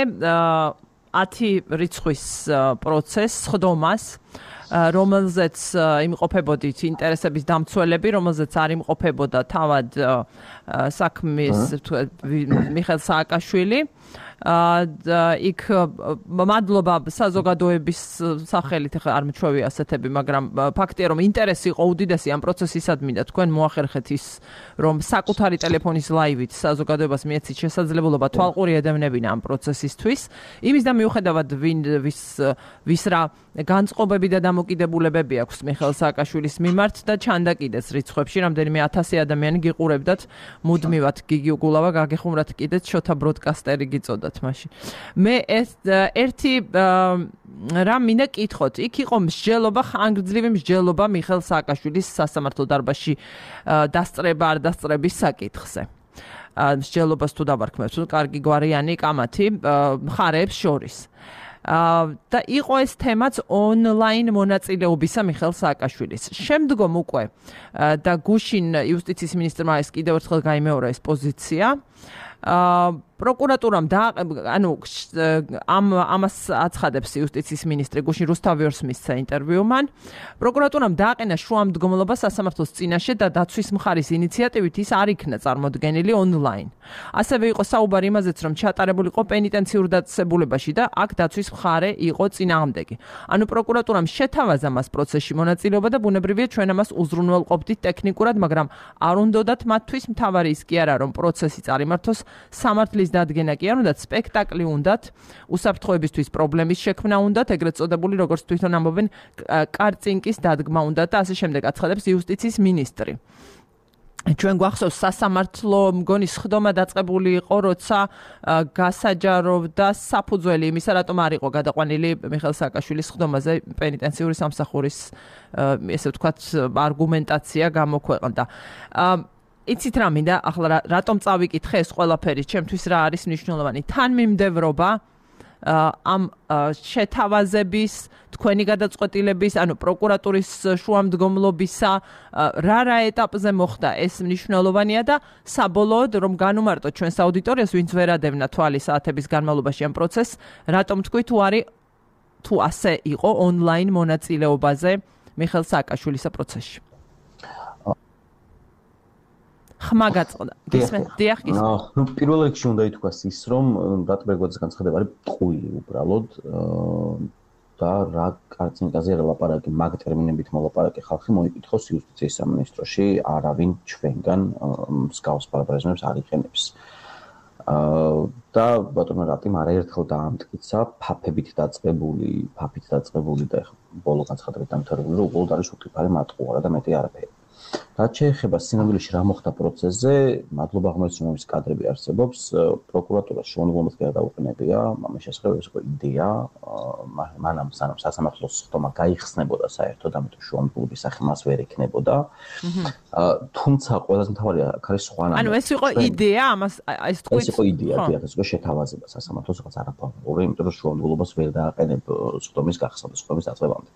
10 რიცხვის პროცესს, ხდომას, რომელზეც იმყოფებოდით ინტერესების დამცველები, რომელზეც არ იმყოფებოდა თავად საქმის მიხეილ სააკაშვილი. იქ მადლობა საზოგადოების სახელით, ახლა არ მეჩვევია ასეთები, მაგრამ ფაქტია, რომ ინტერესი იყო უდიდესი ამ პროცესისადმი და თქვენ მოახერხეთ ის, რომ საკუთარი ტელეფონის ლაივით საზოგადოებას მიეცით შესაძლებლობა თვალყური ედევნებინა ამ პროცესისთვის. იმის და მიუხედავად ვის რა განწყობები და დამოკიდებულებები აქვს მიხეილ სააკაშვილის მიმართ და ჩანდა კიდეც რიცხვებში, რამდენიმე 1000 ადამიანი გიყურებდათ მუდმივად, გიგი უგულავა გაგეხუმრათ კიდეც შოთა ბროდკასტერი გიწოდათ მაშინ. მე ერთი რამ მინდა კითხოთ, იქ იყო მსჯელობა, ხანგრძლივი მსჯელობა მიხეილ სააკაშვილის სასამართლო დარბაზში დასწრება არ დასწრების საკითხზე. მსჯელობას თუ დავარქმევთ, კარგი გვარიანი კამათი მხარეებს შორის. და იყო ეს თემაც ონლაინ მონაწილეობისა მიხეილ სააკაშვილის. შემდგომ უკვე და გუშინ იუსტიციის მინისტრმა ეს კიდევ ერთხელ გაიმეორა ეს პოზიცია. პროკურატურამ ამას აცხადებს იუსტიციის მინისტრი გუშინ რუსთავიორს მისცა ინტერვიუ მან. პროკურატურამ დააყენა შუამდგომლობა სასამართლოს წინაშე და დაცვის მხარის ინიციატივით ის არ იქნა წარმოდგენილი ონლაინ. ასევე იყო საუბარი იმაზეც, რომ ჩატარებული იყო პენიტენციურ დაწესებულებაში და აქ დაცვის მხარე იყო წინააღმდეგი. ანუ პროკურატურამ შეთავაზა მას პროცესში მონაწილეობა და ბუნებრივია ჩვენ ამას უზრუნველყოფდით ტექნიკურად, მაგრამ არ უნდათ მათთვის მთავარი ის კი არა, რომ პროცესი წარიმართოს, სამართლის დადგენა კი არ უნდათ, სპექტაკლი უნდათ, უსაფრთხოებისთვის პრობლემის შექმნა უნდათ, ეგრეთ წოდებული, როგორც თვითონ ამბობენ, კარწინკის დადგმა უნდათ და ასე შემდეგ აცხადებს იუსტიციის მინისტრი. ჩვენ გვახსოვს სასამართლო მგონი სხდომა დაწყებული იყო, როცა გასაჯაროვდა საფუძველი იმისა, რატომ არ იყო გადაყვანილი მიხეილ სააკაშვილის სხდომაზე პენიტენციური სამსახურის ესე ვთქვათ არგუმენტაცია გამოქვეყნდა. იცით რა მინდა, ახლა რატომ წავიკითხე ეს ყველაფერი, ჩემთვის რა არის მნიშვნელოვანი? თანმიმდევრობა ამ შეთავაზების, თქვენი გადაწყვეტილების, ანუ პროკურატურის შუამდგომლობისა, რა ეტაპზე მოხდა ეს მნიშვნელოვანია და საბოლოოდ რომ განუმარტოთ ჩვენს აუდიტორიას, ვინც ვერ ადევნა თვალი საათების განმავლობაში ამ პროცესს, რატომ თქვი თუ ასე იყო ონლაინ მონაწილეობაზე მიხეილ სააკაშვილის პროცესში? ხმა გაწყდა. გისმენთ? დიახ, გისმენთ. ნუ პირველ რიგში უნდა ითქვას ის, რომ რატბერგოძის განცხადება არის ტყუილი უბრალოდ და რა კარწინკაზე ლაპარაკი, მაგ ტერმინებით მოლაპარაკე ხალხი მოიკითხოს იუსტიციის სამინისტროში, არავინ ჩვენგან მსგავს პარაპრაზმებს არ იყენებს. და ბატონო რატიმ არაერთხელ დაამტკიცა ფაფით დაწყებული და ბოლო განცხადებით დამთავრებული, რომ უბრალოდ არის უკიფარი მატყუარა და მეტი არაფერი. რაც შეეხება სინამდვილეში რა მოხდა პროცესზე, მადლობა ღმერთს, რომ ის კადრები არსებობს, პროკურატურას შუამდგომლობად გადაუყენებია, ამის შესახებ ეს იყო იდეა, მანამ სანამ სასამართლოს ხტომა გაიხსნებოდა საერთოდ, ამიტომ შუამდგომლობის სახე მას ვერ ექნებოდა. თუმცა ყველაზე მთავარი აქ არის სხვანა. ანუ ეს იყო იდეა, ამას ეს თქვით. ეს იყო იდეა, დიახ, ეს იყო შეთავაზება სასამართლოს რაღაც არაფორმალური, იმიტომ რომ შუამდგომლობას ვერ დააყენებ ხტომის გახსნა და ხტომის დაწყებამდე.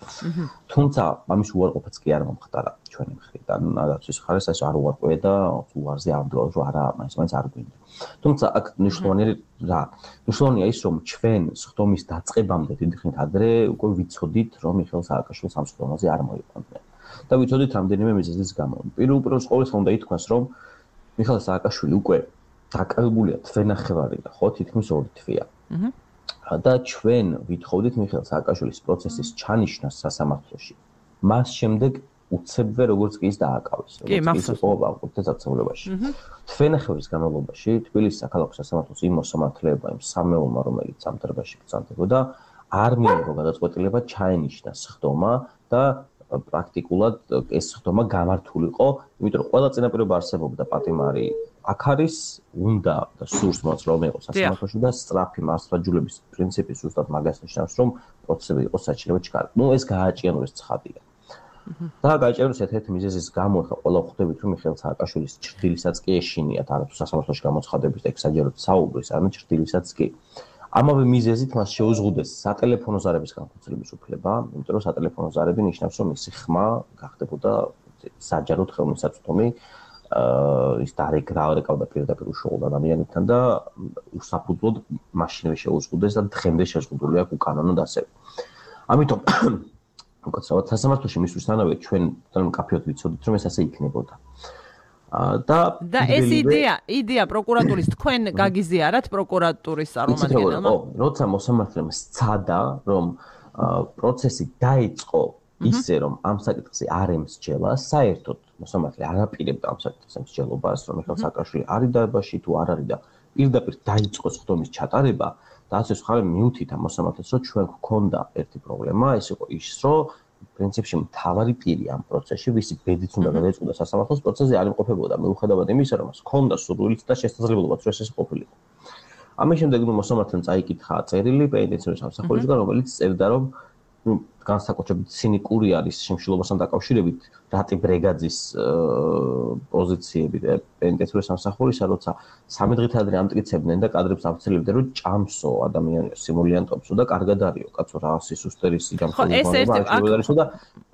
თუმცა ამის უარყოფაც კი არ მომხდარა ჩვენი მხრიდან. ნაცის ხარეს ეს არ უარყვია და უარზე ამდღავნ რომ არა მაინც არ გვინდა. თუმცა აქ მნიშვნელოვანია ის რომ ჩვენ სხდომის დაწყებამდე დიდი ხნით ადრე უკვე ვიცოდით რომ მიხეილ სააკაშვილს ამ სხდომაზე არ მოიყვანდნენ. და ვიცოდით რამდენიმე მიზეზის გამო. პირველ ყოვლისა უნდა ითქვას რომ მიხეილ სააკაშვილი უკვე დაკავებულია თვენახევარი და ხო თითქმის 2 თვეა. და ჩვენ ვითხოვდით მიხეილ სააკაშვილის პროცესის ჩანიშვნას სასამართლოში. მას შემდეგ უცებვე როგორც კი ის დააკავეს, როგორც ის იყო აღკვეთილობაში. თვენახევრის განმავლობაში თბილისის საქალაქო სასამართლოს იმ მოსამართლეებმა, იმ სამეულმა, რომელიც ამ დროში ბრძანდებოდა, არ მიიღო გადაწყვეტილება ჩაენიშნა სხდომა და პრაქტიკულად ეს სხდომა გამართულიყო, იმიტომ რომ ყველა წინაპირობა არსებობდა პატიმარი აქ არის, უნდა და სურს მოწმობა იყოს სასამართლოში და სწრაფი მასწავლებლების პრინციპი ზუსტად მაგას ნიშნავს, რომ პროცესები იყოს საჭიროა ჩქარი. ნუ ეს გააჭიანოს ცხადია. და გაიჭეროს ერთ-ერთი მიზეზის გამო ხა ყველა ხვდებით რომ მიხეილ სააკაშვილის ჭრდილისაც კი ეშინიათ არათუ სასამართლოში გამოცხადების და ექსაჯეროთ საუბრის, ანუ ჭრდილისაც კი. ამავე მიზეზით მას შეუზღუდეს სატელეფონო ზარების განხორციელების უფლება, იმიტომ რომ სატელეფონო ზარები ნიშნავს რომ მისი ხმა გახდებოდა საჯაროდ ხელმისაწვდომი, ის დარეკავდა პირდაპირ უშუალოდ ადამიანებთან და უსაფუძვლოდ მაშინვე შეუზღუდეს და დღემდე შეზღუდული აქვს უკანონოდ ასევე. ამიტომ უკაცრავად სასამართლოში მისვლისთანავე ჩვენ მკაფიოდ ვიცოდით რომ ეს ასე იქნებოდა. და ეს იდეა პროკურატურის თქვენ გაგიზიარათ პროკურატურის წარმომადგენელმა? როცა მოსამართლემ სცადა რომ პროცესი დაიწყო ისე რომ ამ საკითხზე არ ემსჯელა, საერთოდ მოსამართლე არ აპირებდა ამ საკითხზე მსჯელობას, რომ მიხეილ სააკაშვილი არის დაებაში თუ არ არის და პირდაპირ დაიწყო სხდომის ჩატარება. და ასე ხარ მიუთით ამ მოსამართლეს რომ ჩვენ გვქონდა ერთი პრობლემა, ეს იყო ის, რომ პრინციპში მთავარი პირი ამ პროცესში, ვისი ბედიც უნდა გადაეწყო სასამართლოს პროცესზე არ იმყოფებოდა, მიუხედავად იმისა, რომ მას ჰქონდა სურვილიც და შესაძლებლობაც, რომ ეს ყოფილიყო. ამის შემდეგ მოსამართლემ წაიკითხა წერილი პენიტენციარის სამსახურისგან, რომელიც წერდა, რომ განსაკუთრებით ცინიკური არის შემშილობასთან დაკავშირებით რატი ბრეგაძის პოზიციები და პენიტენციარის სამსახურისა, როცა 3 დღით ადრე ამტკიცებდნენ და კადრებს ავცელებდნენ, რომ ჭამსო ადამიანი სიმულიანტობსო და კარგად არისო, კაცო რა სისუსტერისი გამხდარიყო და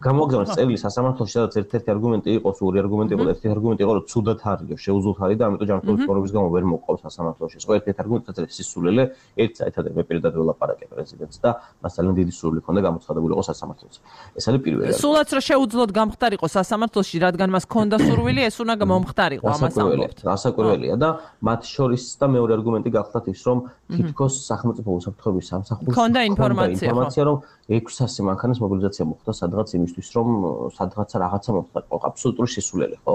გამოგზავნეს წერილი სასამართლოში, სადაც ერთ-ერთი არგუმენტი იყო, ორი არგუმენტი იყო, ერთი არგუმენტი იყო, რომ ცუდად არის, შეუძლოთ არის და ამიტომ ჯანმრთელობის პრობლემის გამო ვერ მოყავს სასამართლოში. ეს ერთ-ერთი არგუმენტი საერთოდ სისულელე, ერთ საერთოდ მე პირადად ველაპარაკე პრეზიდენტს და მას ძალიან დიდი სურვილი ჰქონდა გამოცხადებული იყო სასამართლოში. ეს არის პირველი. სულაც რა შეუძლოთ გამხდარიყო სასამართლოში, რადგან მას ჰქონდა სურვილი, ეს უნდა მომხდარიყო, ამას ამბობთ. რასაკვირველია და მათ შორის და მეორე არგუმენტი გახლავთ ის, რომ თითქოს სახელმწიფო უსაფრთხოების სამსახურს ჰქონდა ინფორმაცია, რომ 600 მანქანის მობილიზაცია მოხდა სადღაც იმისთვის, რომ სადღაცა რაღაცა მოხდარიყო. აბსოლუტური სისულელე, ხო?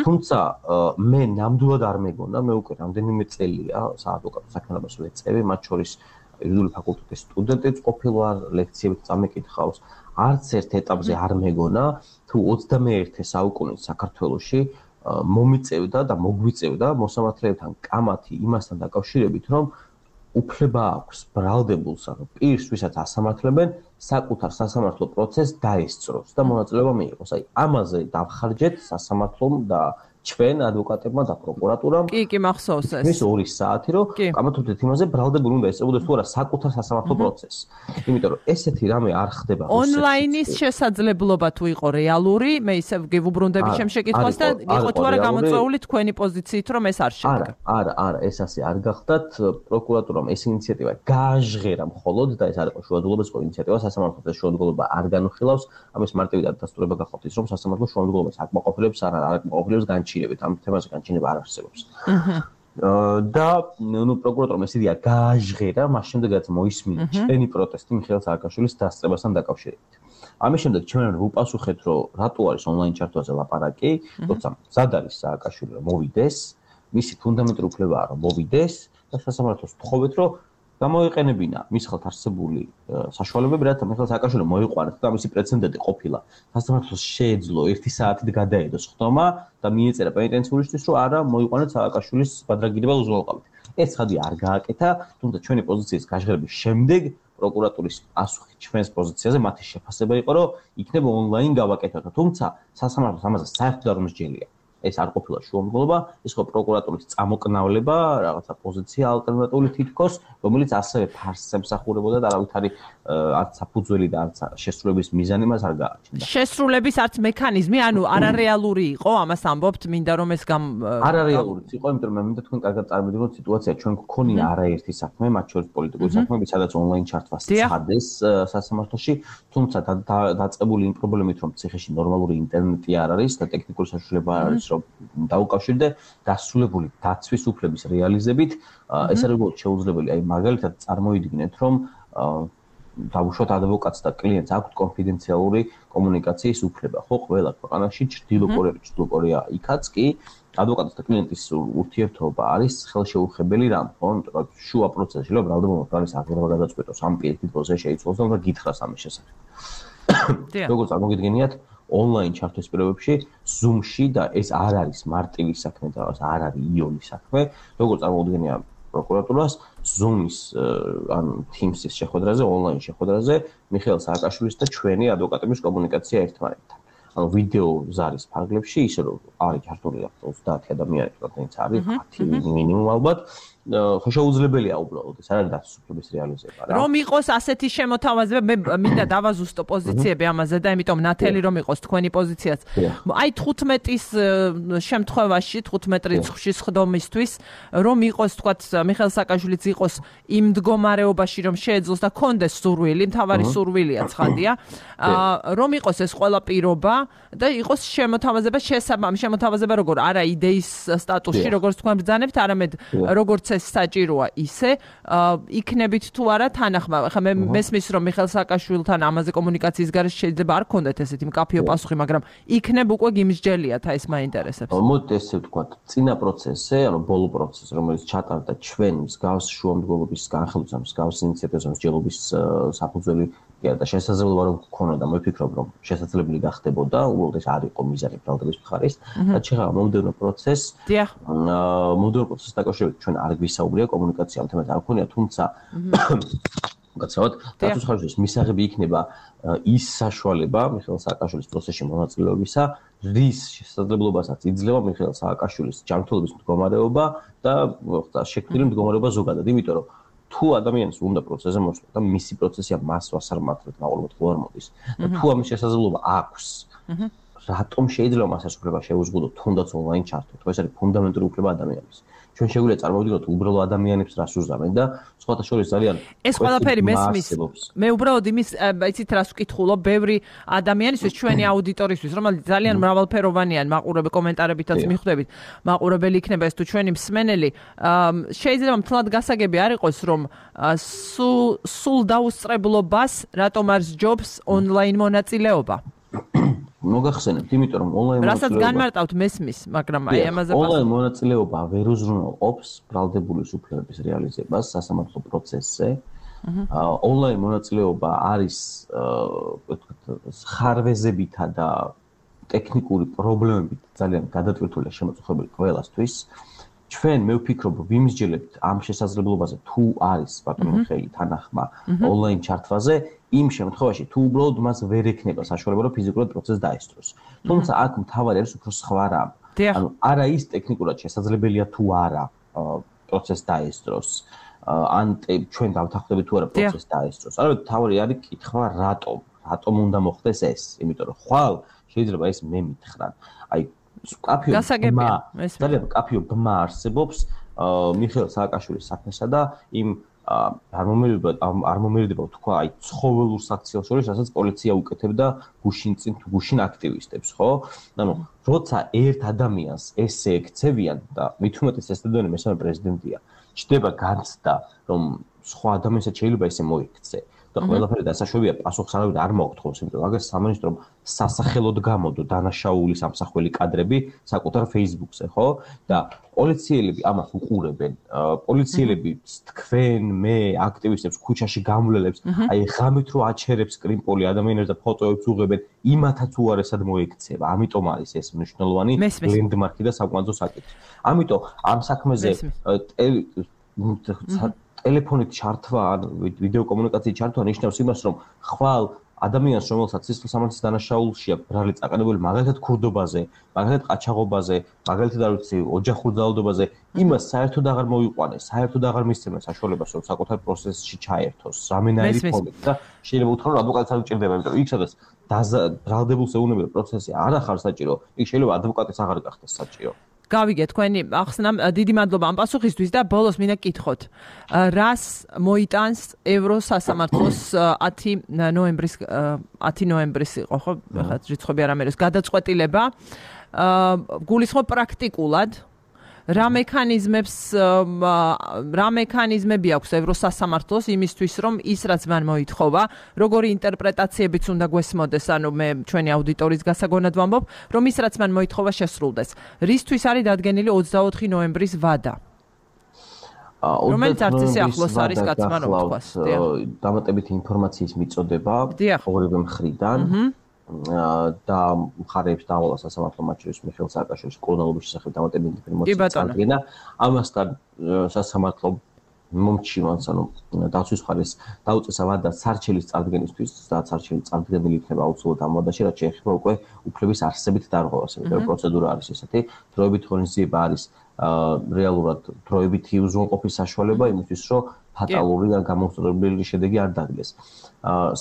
თუმცა მე ნამდვილად არ მეგონა, მე უკვე რამდენიმე წელია საადვოკატო საქმიანობას ვეწევი, მათ შორის იურიდიული ფაკულტეტის სტუდენტიც ყოფილვარ, ლექციებით წამეკითხავს. არც ერთ ეტაპზე არ მეგონა, თუ 21 საუკუნის საქართველოში მომიწევდა და მოგვიწევდა მოსამართლეებთან კამათი იმასთან დაკავშირებით, რომ უფლება აქვს ბრალდებულს, ანუ პირს, ვისაც ასამართლებენ, საკუთარ სასამართლო პროცესს დაესწროს და მონაწილეობა მიიღოს. აი, ამაზე დავხარჯეთ სასამართლომ და ჩვენ ადვოკატებმა და პროკურატურამ კი მახსოვს ეს. ეს 2 საათი რომ გამართულდეთ იმაზე ბრალდებული უნდა ესწრებოდეს თუ არა საკუთარ სასამართლო პროცესს. იმიტომ რომ ესეთი რამე არ ხდება ონლაინის შესაძლებლობა თუ იყო რეალური, მე ისე გივუბრუნდები ჩემ შეკითხვას და იყო თუ არა გამოწვეული თქვენი პოზიციით რომ ეს არ შედგა. არა, ეს ასე არ გახდათ. პროკურატურამ ეს ინიციატივა გააჟღერა მხოლოდ და ეს არ იყო შუადღელობის ინიციატივა, სასამართლოს შუადღელობა არ განუხილავს. ამის მარტივი დასტურება გახავთ ის რომ სასამართლოს შუადღელობას აკმაყოფილებს არ აკმაყოფილებს განჩინებით, ამ თემაზე განჩინება არ არსებობს. და პროკურატურამ ეს იდეა გააჟღერა, მას შემდეგაც მოისმინა ჩვენი პროტესტი მიხეილ სააკაშვილის დასწრებასთან დაკავშირებით. ამის შემდეგ ჩვენ ვუპასუხეთ, რომ რატო არის ონლაინ ჩართვაზე ლაპარაკი, როცა მზად არის სააკაშვილი რომ მოვიდეს, მისი ფუნდამენტური უფლებაა რომ მოვიდეს და სასამართლოს ვთხოვეთ, რომ გამოიყენებინა მის ხელთ არსებული საშუალებები, რათა მიხეილ სააკაშვილი მოიყვანოს და მისი პრეცედენტი ყოფილა. სასამართლოს შეეძლო 1 საათით გადაედოს ხდომა და მიეწერა პენიტენციურისთვის, რომ არა მოიყვანოთ სააკაშვილის ბადრაგირებელ უზრუნველყოფით. ეს ცხადი არ გააკეთა, თუმცა ჩვენი პოზიციის გაჟღერების შემდეგ პროკურატურის პასუხი ჩვენს პოზიციაზე მათი შეფასება იყო, რომ იქნება ონლაინ გავაკეთოთ, თუმცა სასამართლოს ამაზე საერთოდ არ მოსჯელია. ეს არ ყოფილა შუამდგომლობა, ეს ხო პროკურატურის წამოკნავლება, რაღაცა პოზიცია ალტერნატიული თითქოს, რომელიც ასევე ფარსს ემსახურებოდა და არავითარი არც საფუძველი და არც შესრულების მიზანი მას არ გააჩნდა. შესრულების არც მექანიზმი, ანუ არარეალური იყო, ამას ამბობთ, მინდა რომ ეს არარეალური იყო, იმიტომ რომ მე მინდა თქვენ კარგად წარმოვიდგინოთ სიტუაცია, ჩვენ გქონია არაერთი საქმე, მათ შორის პოლიტიკური საქმეები, სადაც ონლაინ ჩართვას სცადეს სასამართლოში, თუმცა დაწყებული იმ პრობლემით, რომ ციხეში ნორმალური ინტერნეტი არ არის და ტექნიკური საშუალება არ არის, რომ დაუკავშირდე დასრულებული დაცვის უფლების რეალიზებით, ეს არის უბრალოდ შეუძლებელი. აი მაგალითად წარმოიდგინეთ, რომ დავუშვათ ადვოკატს და კლიენტს აქვთ კონფიდენციალური კომუნიკაციის უფლება, ხო, ყველა ქვეყანაში, ჩრდილო კორეა იქაც კი ადვოკატის და კლიენტის ურთიერთობა არის ხელშეუხებელი რამ, ხო, იმიტომ რომ შუა პროცესში რომ ბრალდებულობთ არის აღება გადაწყვეტოს ამ პირიქით პროცესში შეიცვალოს და უნდა გითხრას ამის შესახებ. როგორც წარმოგიდგენიათ, ონლაინ ჩართვის პირობებში Zoom-ში და ეს არ არის მარტივი საქმე და არ არის იონი საქმე, როგორც წარმოგიდგენია პროკურატურას Zoom-ის ან Teams-ის შეხვედრაზე, ონლაინ შეხვედრაზე მიხეილ სააკაშვილის და ჩვენი ადვოკატების კომუნიკაცია ერთმანეთთან. ანუ ვიდეო ზარის ფარგლებში ისე რომ არის ჩართული 30 ადამიანი, რომელიც არის 10 მინიმუმ ალბათ. ხო შეუძლებელია უბრალოდ ეს არ არის დაცვის უფლების რეალიზება რა. რომ იყოს ასეთი შემოთავაზება, მე მინდა დავაზუსტო პოზიციები ამაზე და იმიტომ ნათელი რომ იყოს თქვენი პოზიციაც. აი 15-ის შემთხვევაში, 15 რიცხვში სხდომისთვის, რომ იყოს თქვათ მიხეილ სააკაშვილიც იყოს იმ მდგომარეობაში, რომ შეეძლოს და კონდეს სურვილი, მთავარი სურვილია ცხადია, რომ იყოს ეს ყველა პირობა და იყოს შემოთავაზება როგორ არა იდეის სტატუსში, როგორც თქვენ ბრძანებთ, არამედ როგორც საჭიროა ისე იქნებით თუ არა თანახმა. ხა მე მესმის რომ მიხეილ სააკაშვილთან ამაზე კომუნიკაციის გარეშე შეიძლება არ ქონდეთ ესეთი მკაფიო პასუხი, მაგრამ იქნებ უკვე გიმსჯელიათ, აი ეს მაინტერესებს. მოდით ესე ვთქვათ, წინა პროცესზე, ანუ ბოლო პროცესი, რომელიც ჩატარდა ჩვენ მსგავს შუამდგომლობის განხილვის ამ მსგავს ინიციატივას მსჯელობის საფუძველი და შესაძლებლობა რომ გქონოდა, მე ვფიქრობ რომ შესაძლებელი გახდებოდა, უბრალოდ ეს არ იყო მიზანი ბრალდების მხარის. და შეხება მომდევნო პროცესს. მომდევნო პროცესს დაკავშირებით ჩვენ არ გვისაუბრია კომუნიკაცია ამ თემაზე არ ქონია, თუმცა გაცავთ, დაცვის ხარჯების მისაღები იქნება ის საშუალება მიხეილ სააკაშვილის პროცესში მონაწილეობისა, რის შესაძლებლობასაც იძლევა მიხეილ სააკაშვილის ჯანმრთელობის მდგომარეობა და შექმნილი მდგომარეობა ზოგადად, იმიტომ რომ თუ ადამიანს უნდა პროცესზე მოსვლა და მისი პროცესია მას ვასარმართლეთ, მაყურებელთ ხო არ მოდის. და თუ ამის შესაძლებლობა აქვს, რატომ შეიძლება მას ეს უფლება შეუზღუდოთ თუნდაც ონლაინ ჩართვით? ეს არის ფუნდამენტური უფლება ადამიანის. ჩვენ შეგვიძლია წარმოვიდგინოთ უბრალო ადამიანებს რას უზამენ და სხვათა შორის ძალიან ეს ყველაფერი მესმის. მე უბრალოდ იმის იცით რას ვკითხულობ, ბევრი ადამიანისთვის, ჩვენი აუდიტორისთვის, რომელიც ძალიან მრავალფეროვანია, მაყურებელი კომენტარებითაც მიხვდებით, მაყურებელი იქნება ეს თუ ჩვენი მსმენელი, შეიძლება მთლად გასაგები არ იყოს, რომ სულ დაუსწრებლობას რატომ არ სჯობს ონლაინ მონაწილეობა. მოგახსენებთ, იმიტომ რომ ონლაინ მონაწილეობა რასაც განმარტავთ მესმის, მაგრამ აი ამაზე ონლაინ მონაწილეობა ვერ უზრუნველყოფს ბრალდებულის უფლებების რეალიზებას სასამართლო პროცესზე. ონლაინ მონაწილეობა არის ხარვეზებითა და ტექნიკური პრობლემებით ძალიან გადატვირთული შემოწუხებელი ყველასთვის. ჩვენ მე ვფიქრობ, ვიმსჯელებთ ამ შესაძლებლობაზე, თუ არის ბატონო მიხეილი თანახმა ონლაინ ჩართვაზე, იმ შემთხვევაში თუ უბრალოდ მას ვერ ექნება საშუალება, რომ ფიზიკურად პროცესს დაესწროს. თუმცა აქ მთავარი არის უფრო სხვა რამ. ანუ არა ის ტექნიკურად შესაძლებელია თუ არა პროცესს დაესწროს. ან ჩვენ დავთანხმდებით თუ არა პროცესს დაესწროს. არამედ თავი არის კითხვა რატომ უნდა მოხდეს ეს? იმიტომ რომ ხვალ შეიძლება ეს მე მითხრან. აი ძალიან კაფეო ბმა არსებობს მიხეილ სააკაშვილის საქმესა და იმ არ მომერდება თქვა აი ცხოველურ საქციელს შორის, რასაც პოლიცია უკეთებდა გუშინ აქტივისტებს, ხო? ანუ როცა ერთ ადამიანს ესე ექცევიან და მით უმეტეს ეს დედონი მესამე პრეზიდენტია, ჩდება განცდა, რომ სხვა ადამიანსაც შეიძლება ესე მოიქცე. და ყველაფერი დასაშვებია პასუხს არ მოგთხოვს, იმიტომ რომ აგერ სამინისტრომ სასახელოდ გამოდო დანაშაული სამსახველი კადრები საკუთარ Facebook-ზე, ხო? და პოლიციელები ამას უყურებენ. პოლიციელები თქვენ, მე, აქტივისტებს ქუჩაში გამვლელებს, აი ღამით რო აჩერებს კრიმპოლი ადამიანებს და ფოტოებს უღებენ, იმათაც უარესად მოექცევა. ამიტომ არის ეს მნიშვნელოვანი ლენდმარკი და საკმაოდ საკითხი. ამიტომ ამ საქმეზე ტელეფონით ჩართვა, ვიდეო კომუნიკაციით ჩართვა ნიშნავს იმას, რომ ხვალ ადამიანს, რომელსაც სისხლის სამართლის დანაშაულში აქვს ბრალი წაყენებული, მაგალითად ქურდობაზე, მაგალითად ყაჩაღობაზე, მაგალითად არ ვიცი, ოჯახურ ძალადობაზე, იმას საერთოდ აღარ მოიყვანეს, საერთოდ აღარ მისცემენ საშუალებას, რომ საკუთარ პროცესში ჩაერთოს, რამენაირი ფორმით და შეიძლება უთხრა, რომ ადვოკატიც არ უჭირდება, იმიტომ რომ იქ სადაც ბრალდებულს ეუბნება პროცესი არ ახარ საჭირო, იქ შეიძლება ადვოკატიც აღარ გახდეს საჭირო. გავიგეთ თქვენი ახსნა, დიდი მადლობა ამ პასუხისთვის და ბოლოს მინდა გკითხოთ. რას მოიტანს ევროსასამართლოს 10 ნოემბრის იყო, ხო? ხა რიცხვები არ ამეროს გადაწყვეტილება. გულისხმობ პრაქტიკულად რა მექანიზმები აქვს ევროსასამართლოს იმისთვის, რომ ის რაც მან მოითხოვა, როგორი ინტერპრეტაციებიც უნდა გვესმოდეს, ანუ მე ჩვენი აუდიტორის გასაგონად ვამბობ, რომ ის რაც მან მოითხოვა შესრულდეს. რისთვის არის დადგენილი 24 ნოემბრის ვადა? რომელიც არც ისე ახლოს არის კაცმა რომ თქვას. დამატებითი ინფორმაციის მიწოდება ორივე მხრიდან. და მხარეებს დაავალა სასამართლო მათ შორის მიხეილ სააკაშვილის კოლონელობის შესახებ დამატებითი ინფორმაცია წარდგენა. ამასთან სასამართლო მომჩივანს, ანუ დაცვის მხარეს დაუწესა ვადა სარჩელის წარდგენისთვის, და სარჩელი წარდგენილი იქნება აუცილებლად ამ ვადაში, რაც შეეხება უკვე უფლების არსებით დარღვევას. იმიტომ რომ პროცედურა არის ესეთი, დროებით ღონისძიება არის რეალურად დროებითი უზრუნყოფის საშუალება იმისთვის, რომ ფატალური და გამოსწორებელი შედეგი არ დადგეს.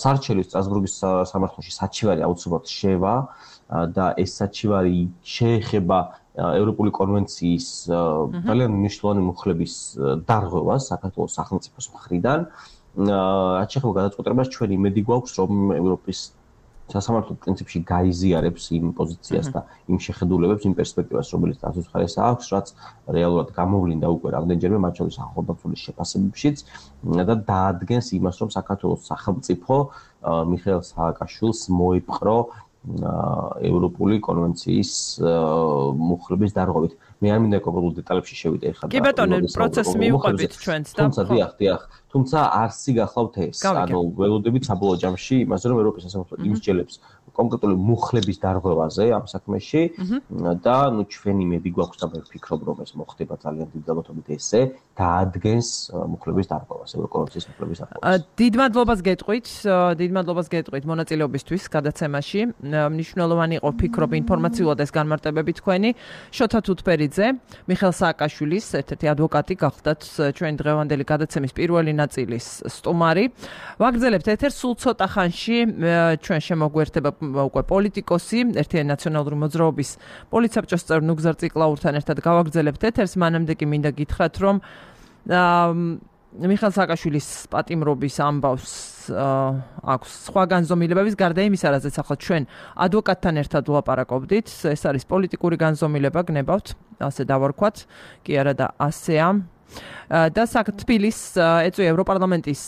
სარჩელი სტრასბურგის სამართლოში საჩივარი აუცილებლად შევა და ეს საჩივარი შეეხება ევროპული კონვენციის ძალიან მნიშვნელოვანი მუხლების დარღვევას საქართველოს სახელმწიფოს მხრიდან. რაც შეეხება გადაწყვეტილებას, ჩვენ იმედი გვაქვს, რომ ევროპის სასამართლო პრინციპში გაიზიარებს იმ პოზიციას და იმ შეხედულებებს, იმ პერსპექტივას, რომელიც დაცვის მხარეს აქვს, რაც რეალურად გამოვლინდა უკვე რამდენჯერმე მათ შორის ახალგაზრდობის შეფასებებშიც და დაადგენს იმას, რომ საქართველოს სახელმწიფო მიხეილ სააკაშვილს მოიპყრო ევროპული კონვენციის მუხლების დარღვევით. მე არ მინდა კონკრეტულ დეტალებში შევიდე ახლა. კი ბატონო, პროცესს მივყვებით ჩვენც და დიახ. თუმცა არსი გახლავთ ეს. ანუ ველოდებით საბოლოო ჯამში იმაზე, რომ ევროპის სასამართლო იმსჯელებს კონკრეტული მუხლების დარღვევაზე ამ საქმეში და ნუ ჩვენი მედი გვაქვს და მე ვფიქრობ, რომ ეს მოხდება ძალიან დიდ ალბათობით ესე დაადგენს მუხლების დარღვევას, ევროკონვენციის მუხლების დარღვევას. დიდ მადლობას გეტყვით მონაწილეობისთვის გადაცემაში. მნიშვნელოვანი იყო ვფიქრობ ინფორმაციულად ეს განმარტებები თქვენი. შოთა თუთბერიძე, მიხეილ სააკაშვილის ერთ-ერთი ადვოკატი გახლდათ ჩვენი დღევანდელი გადაცემის პირველი ნაწილის სტუმარი. ვაგრძელებთ ეთერს სულ ცოტა ხანში ჩვენ შემოგვერთება უკვე პოლიტიკოსი, ერთიანი ნაციონალური მოძრაობის პოლიცსაბჭოს წევრი ნუგზარ ციკლაურთან ერთად გავაგრძელებთ ეთერს. მანამდე კი მინდა გითხრათ, რომ მიხეილ სააკაშვილის პატიმრობის ამბავს აქვს სხვა განზომილებების გარდა იმისა, რაზეც ახლა ჩვენ ადვოკატთან ერთად ვლაპარაკობდით. ეს არის პოლიტიკური განზომილება, გნებავთ, ასე დავარქვათ, კი არა და ასეა. და თბილის ეწვია ევროპარლამენტის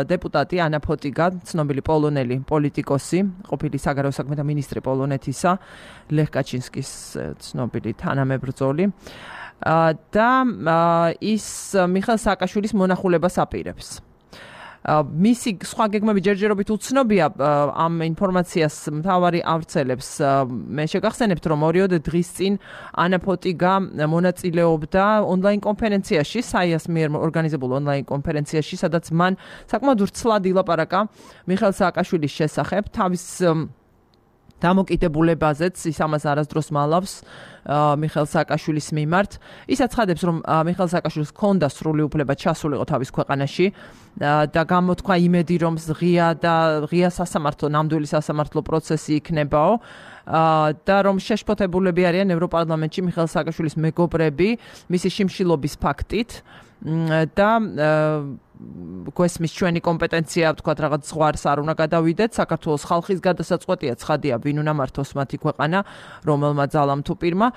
დეპუტატი ანა ფოტიგა, ცნობილი პოლონელი პოლიტიკოსი, ყოფილი საგარეო საქმეთა მინისტრი პოლონეთისა, ლეხ კაჩინსკის ცნობილი თანამებრძოლი. და ის მიხეილ სააკაშვილის მონახულებას აპირებს. მისი სხვა გეგმები ჯერჯერობით უცნობია ამ ინფორმაციას მთავარი ავრცელებს. მე შეგახსენებთ, რომ 2 დღის წინ ანა ფოტიგა მონაწილეობდა ონლაინ კონფერენციაში, საიას მიერ ორგანიზებულ ონლაინ კონფერენციაში, სადაც მან საკმაოდ ვრცლად ილაპარაკა მიხეილ სააკაშვილის შესახებ. თავის დამოკიდებულებაზეც ის ამას არასდროს მალავს მიხეილ სააკაშვილის მიმართ. ის აცხადებს, რომ მიხეილ სააკაშვილს ჰქონდა სრული უფლება ჩასულიყო თავის ქვეყანაში და გამოთქვა იმედი, რომ ღია სასამართლო, ნამდვილი სასამართლო პროცესი იქნებაო და რომ შეშფოთებულები არიან ევროპარლამენტში მიხეილ სააკაშვილის მეგობრები მისი შიმშილობის ფაქტით და გვესმის ჩვენი კომპეტენცია, ვთქვათ, რაღაც ზღვარს არ უნდა გადავიდეთ. საქართველოს ხალხის გადასაწყვეტია, ცხადია, ვინ უნდა მართოს მათი ქვეყანა, რომელმა ძალამ თუ პირმა.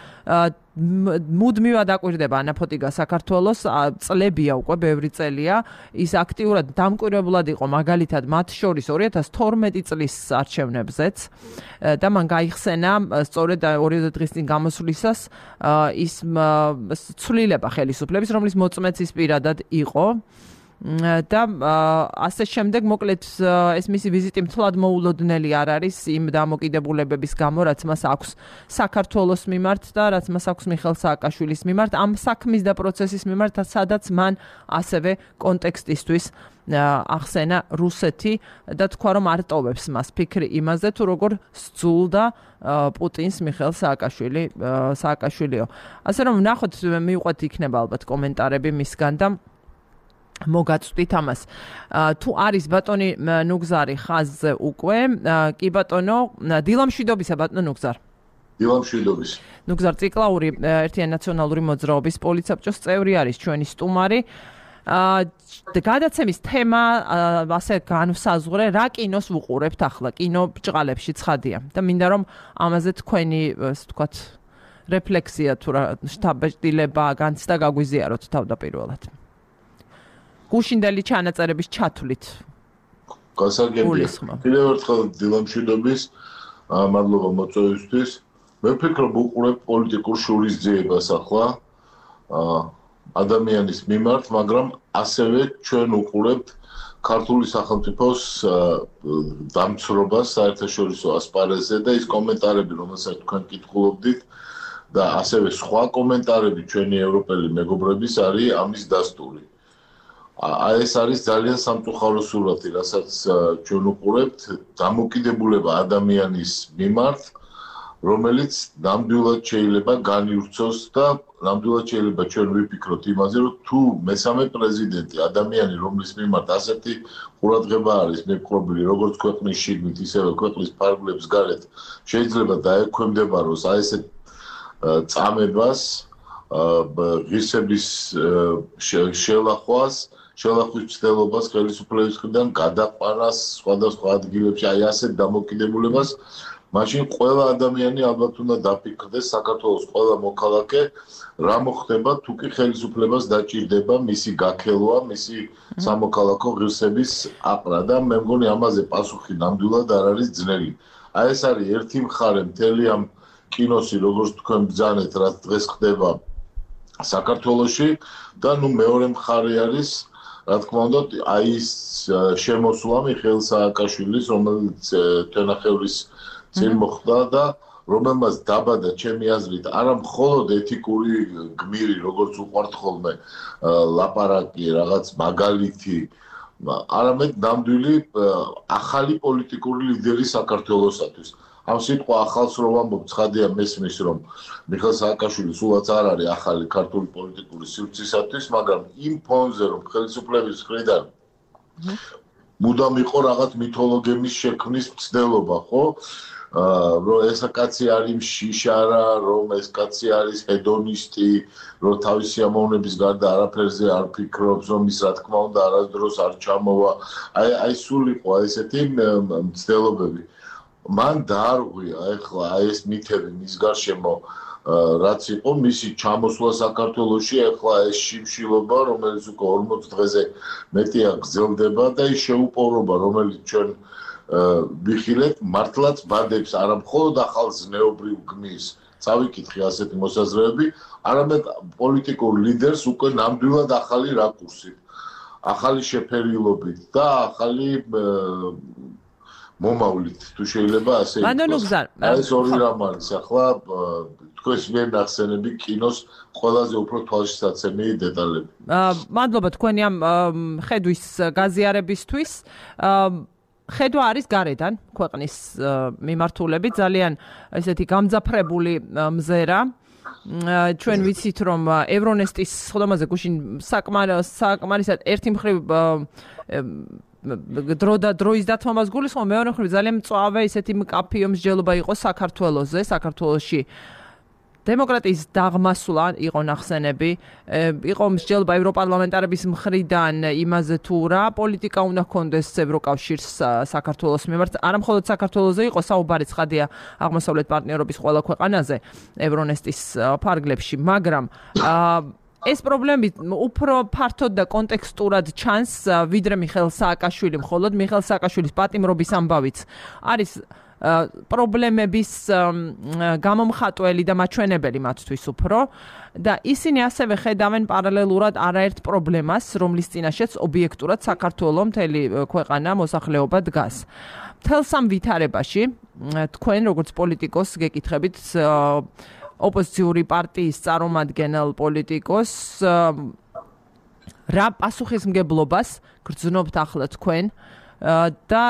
მუდმივად აკვირდება ანაფოტიგა საქართველოს, წლებია უკვე, ბევრი წელია. ის აქტიურად დამკვირვებლად იყო, მაგალითად, მათ შორის 2012 წლის არჩევნებზეც და მან გაიხსენა სწორედ 2 დღის წინ გამოსვლისას ის ცვლილება ხელისუფლების, რომლის მოწმეც ის პირადად იყო. და ასე შემდეგ მოკლედ ეს მისი ვიზიტი მთლად მოულოდნელი არ არის იმ დამოკიდებულებების გამო, რაც მას აქვს საქართველოს მიმართ და რაც მას აქვს მიხეილ სააკაშვილის მიმართ, ამ საქმის და პროცესის მიმართ, სადაც მან ასევე კონტექსტისთვის ახსენა რუსეთი და თქვა, რომ არტოვებს მას ფიქრი იმაზე, თუ როგორ სძულდა პუტინს მიხეილ სააკაშვილიო. ასე რომ ვნახოთ, მივყვეთ იქნება ალბათ კომენტარები მისგან და მოგაწვდით ამას. თუ არის ბატონი ნუგზარი ხაზზე უკვე, კი ბატონო, დილამშვიდობისა ბატონო ნუგზარ. დილამშვიდობის. ნუგზარ ციკლაური ერთიანი ნაციონალური მოძრაობის პოლიცსაბჭოს წევრი არის ჩვენი სტუმარი. გადაცემის თემა ასე განვსაზღვრე, რა კინოს ვუყურებთ ახლა, კინო ბჭყალებში ცხადია და მინდა რომ ამაზე თქვენი, ასე ვთქვათ, რეფლექსია თუ რა შთაბეჭდილება განცდა გაგვიზიაროთ თავდაპირველად. გუშინდელი ჩანაწერების ჩათვლით. გასაგებია. კიდევ ერთხელ დილამშვიდობის, მადლობა მოწვევისთვის. მე ვფიქრობ, უყურებ პოლიტიკურ შურისძიებას ახლა ადამიანის მიმართ, მაგრამ ასევე ჩვენ უყურებთ ქართული სახელმწიფოს დამცრობას საერთაშორისო ასპარეზზე და ის კომენტარები, რომელსაც თქვენ კითხულობდით და ასევე სხვა კომენტარები ჩვენი ევროპელი მეგობრების არის ამის დასტური. ეს არის ძალიან სამწუხარო სურათი, რასაც ჩვენ უყურებთ, დამოკიდებულება ადამიანის მიმართ, რომელიც ნამდვილად შეიძლება განივრცოს და ნამდვილად შეიძლება ჩვენ ვიფიქროთ იმაზე, რომ თუ მესამე პრეზიდენტი ადამიანი, რომლის მიმართ ასეთი ყურადღება არის მიპყრობილი, როგორც ქვეყნის შიგნით, ისევე ქვეყნის ფარგლებს გარეთ, შეიძლება დაექვემდებაროს ესეთ წამებას, ღირსების შელახვის მცდელობას ხელისუფლების მხრიდან გადაყვანას სხვადასხვა ადგილებში, ასეთ დამოკიდებულებას, მაშინ ყველა ადამიანი ალბათ უნდა დაფიქრდეს, საქართველოს ყველა მოქალაქე რა მოხდება, თუ კი ხელისუფლებას დაჭირდება მისი გაქელვა, მისი სამოქალაქო ღირსების აყრა და მე მგონი ამაზე პასუხი ნამდვილად არ არის ძნელი. ეს არის ერთი მხარე მთელი ამ კინოსი, როგორც თქვენ ბრძანეთ, რაც დღეს ხდება საქართველოში და მეორე მხარე არის რა თქმა უნდა, ის შემოსვლა მიხეილ სააკაშვილის, რომელიც თენახევრის წინ მოხდა და რომელმაც დაბადა ჩემი აზრით არა მხოლოდ ეთიკური გმირი, როგორც უყვართ ხოლმე ლაპარაკი, რაღაც მაგალითი, არამედ ნამდვილი ახალი პოლიტიკური ლიდერი საქართველოსათვის. ამ სიტყვა ახალს რო ვამბობ, ცხადია მესმის, რომ მიხეილ სააკაშვილი სულაც არ არის ახალი ქართული პოლიტიკური სივრცისათვის, მაგრამ იმ ფონზე, რომ ხელისუფლების მხრიდან მუდამ იყო რაღაც მითოლოგემის შექმნის მცდელობა, ხო? რომ ეს კაცი არის შიშარა, რომ ეს კაცი არის ჰედონისტი, რომ თავისი სიამოვნების გარდა არაფერზე არ ფიქრობს, რომ ის რა თქმა უნდა არასდროს არ ჩამოვა. აი სულ იყო ესეთი მცდელობები. მან დაარღვია ეხლა ეს მითები მის გარშემო რაც იყო მისი ჩამოსვლა საქართველოში, ეხლა ეს შიმშილობა, რომელიც უკვე 40 დღეზე მეტია გრძელდება და ის შეუპოვრობა, რომელიც ჩვენ ვიხილეთ, მართლაც ბადებს არა მხოლოდ ახალ ზნეობრივ გმირს, წავიკითხე ასეთი მოსაზრებები, არამედ პოლიტიკურ ლიდერს უკვე ნამდვილად ახალი რაკურსით, ახალი შეფერილობით და ახალი მომავლით, თუ შეიძლება ასე ითქვას. ეს ორი რამ არის, ახლა თქვენს მიერ ნახსენები კინოს ყველაზე უფრო თვალშისაცემი დეტალები. მადლობა თქვენი ამ ხედვის გაზიარებისთვის. ხედვა არის გარედან ქვეყნის მიმართულებით ძალიან ესეთი გამძაფრებული მზერა ჩვენ ვიცით რომ ევრონესტის სხდომაზე გუშინ საკმარისად ერთი მხრივ დროის დათმობას გულისხმობ მეორე მხრივ ძალიან მწვავე ისეთი მკაფიო მსჯელობა იყო საქართველოში დემოკრატიის დაღმასვლა იყო ნახსენები იყო მსჯელობა ევროპარლამენტარების მხრიდან იმაზე თუ რა პოლიტიკა უნდა ჰქონდეს ევროკავშირს საქართველოს მიმართ არა მხოლოდ საქართველოზე იყო საუბარი ცხადია აღმოსავლეთ პარტნიორობის ყველა ქვეყანაზე ევრონესტის ფარგლებში მაგრამ ეს პრობლემები უფრო ფართოდ და კონტექსტურად ჩანს ვიდრე მიხეილ სააკაშვილი მხოლოდ მიხეილ სააკაშვილის პატიმრობის ამბავიც არის პრობლემების გამომხატველი და მაჩვენებელი მათთვის უფრო და ისინი ასევე ხედავენ პარალელურად არაერთ პრობლემას რომლის წინაშეც ობიექტურად საქართველოს მთელი ქვეყანა მოსახლეობა დგას მთელ სამ ვითარებაში თქვენ როგორც პოლიტიკოს გეკითხებით ოპოზიციური პარტიის წარმომადგენელ პოლიტიკოს რა პასუხისმგებლობას გრძნობთ ახლა თქვენ და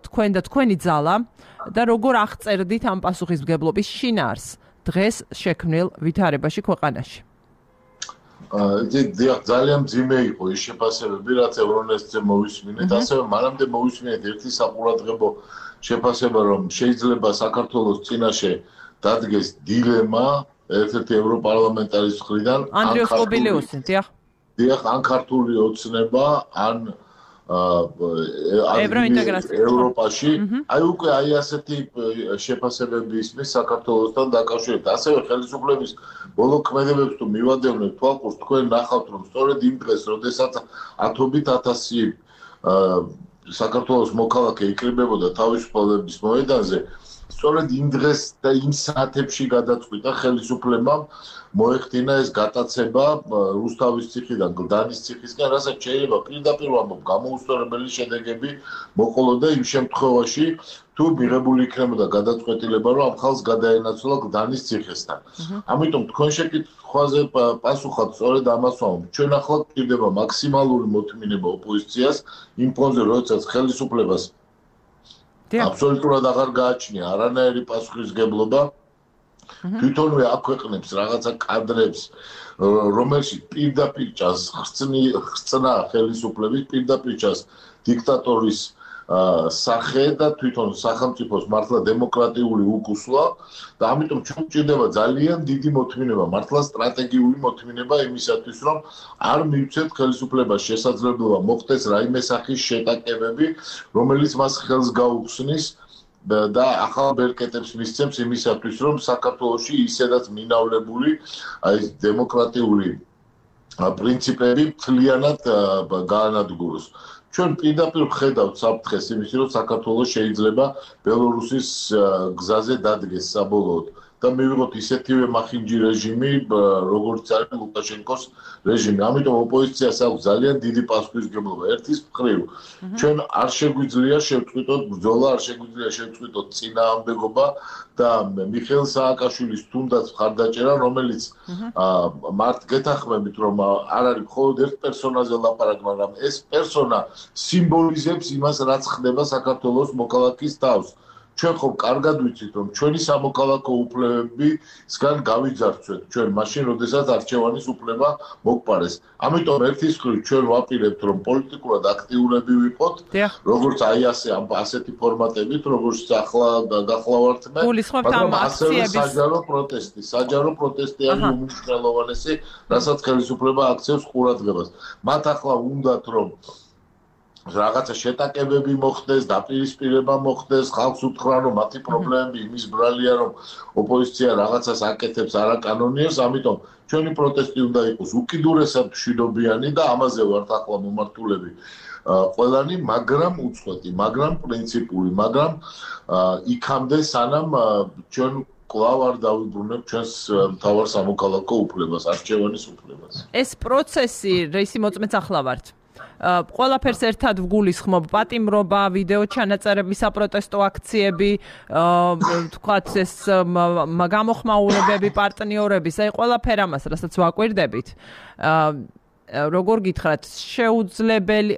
თქვენ და თქვენი ძალა და როგორ აღწერდით ამ პასუხისმგებლობის შინაარს დღეს შექმნილ ვითარებაში ქვეყანაში ძალიან მძიმე იყო ის შეფასებები რაც ევრონესტზე მოვისმინეთ ასევე მანამდე მოვისმინეთ ერთი საყურადღებო შეფასება რომ შეიძლება საქართველოს წინაშე დადგეს დილემა ერთ-ერთი ევროპარლამენტარის მხრიდან ანდრიოს კობილიუსი დიახ ან ქართული ოცნება ან ევროპაში აი უკვე აი ასეთი შეფასებები ისმის საქართველოსთან დაკავშირებით ასევე ხელისუფლების ბოლო ქმედებებს თუ მივადევნებთ თვალყურს თქვენ ნახავთ რომ სწორედ იმ დღეს როდესაც ათობით ათასი საქართველოს მოქალაქე იკრიბებოდა თავისუფლების მოედანზე სწორედ იმ დღეს და იმ საათებში გადაწყვიტა ხელისუფლებამ მოეხდინა ეს გატაცება რუსთავის ციხიდან გლდანის ციხისკენ, რასაც შეიძლება პირდაპირ ვამბობ, გამოუსწორებელი შედეგები მოყოლოდა იმ შემთხვევაში, თუ მიღებული იქნებოდა გადაწყვეტილება, რომ ამ ხალხს გადაენაცვლა გლდანის ციხესთან. ამიტომ თქვენ შეკითხვაზე პასუხად სწორედ ამას ვამბობ. ჩვენ ახლა გვჭირდება მაქსიმალური მოთმინება ოპოზიციას იმ ფონზე, როდესაც ხელისუფლებას აბსოლუტურად აღარ გააჩნია არანაირი პასუხისმგებლობა თვითონვე აქვეყნებს რაღაცა კადრებს რომელშიც პირდაპირ ჭას ხსნა ხელისუფლების პირდაპირ ჭას დიქტატორის სახე და თვითონ სახელმწიფოს მართლა დემოკრატიული უკუსვა და ამიტომ ჩვენ გვჭირდება ძალიან დიდი მოთმინება მართლა სტრატეგიული მოთმინება იმისათვის რომ არ მივცეთ ხელისუფლებას შესაძლებლობა მოხდეს რაიმე სახის შეტაკებები რომელიც მას ხელს გაუხსნის და ახალ ბერკეტებს მისცემს იმისათვის რომ საქართველოში ისედაც მინავლებული აი დემოკრატიული პრინციპები მთლიანად გაანადგუროს ჩვენ პირდაპირ ვხედავთ საფრთხეს იმის რომ საქართველოს შეიძლება ბელორუსის გზაზე დადგეს საბოლოოდ და მივიღოთ ისეთივე მახინჯი რეჟიმი როგორც არის ლუკაშენკოს რეჟიმი ამიტომ ოპოზიციას აქვს ძალიან დიდი პასუხისმგებლობა ერთის მხრივ ჩვენ არ შეგვიძლია შევწყვიტოთ ბრძოლა არ შეგვიძლია შევწყვიტოთ წინააღმდეგობა და მიხეილ სააკაშვილის თუნდაც მხარდაჭერა რომელიც მართ გეთახმებით რომ არ არის მხოლოდ ერთ პერსონაზე ლაპარაკი მაგრამ ეს პერსონა სიმბოლიზებს იმას რაც ხდება საქართველოს მოქალაქის თავს ჩვენ ხომ კარგად ვიცით რომ ჩვენი სამოქალაქო უფლებებისგან გავიძარცვეთ ჩვენ მაშინ როდესაც არჩევანის უფლება მოგვპარეს ამიტომ ერთის მხრივ ჩვენ ვაპირებთ რომ პოლიტიკურად აქტიურები ვიყოთ როგორც აი ასეთი ფორმატებით როგორც ახლა გახლავართ მე მაგრამ ასევე საჯარო პროტესტი არის უმნიშვნელოვანესი რასაც ხელისუფლება აქცევს ყურადღებას მათ ახლა უნდათ რომ რაღაცა შეტაკებები მოხდეს, დაპირისპირება მოხდეს, ხალხს უთხრან რომ მათი პრობლემები იმის ბრალია რომ ოპოზიცია რაღაცას აკეთებს არაკანონიერს, ამიტომ ჩვენი პროტესტი უნდა იყოს უკიდურესად მშვიდობიანი და ამაზე ვართ ახლა მომართულები ყველანი, მაგრამ უწყვეტი, მაგრამ პრინციპული, მაგრამ იქამდე სანამ ჩვენ კვლავ არ დავიბრუნებთ ჩვენს მთავარ სამოქალაქო უფლებას, არჩევანის უფლებას. ეს პროცესი რისი მოწმეც ახლა ვართ. ყველაფერს ერთად ვგულისხმობ პატიმრობა, ვიდეო ჩანაწერები, საპროტესტო აქციები, თქვათ ეს გამოხმაურებები პარტნიორების, აი ყველაფერ ამას, რასაც ვაკვირდებით. როგორ გითხრათ, შეუძლებელი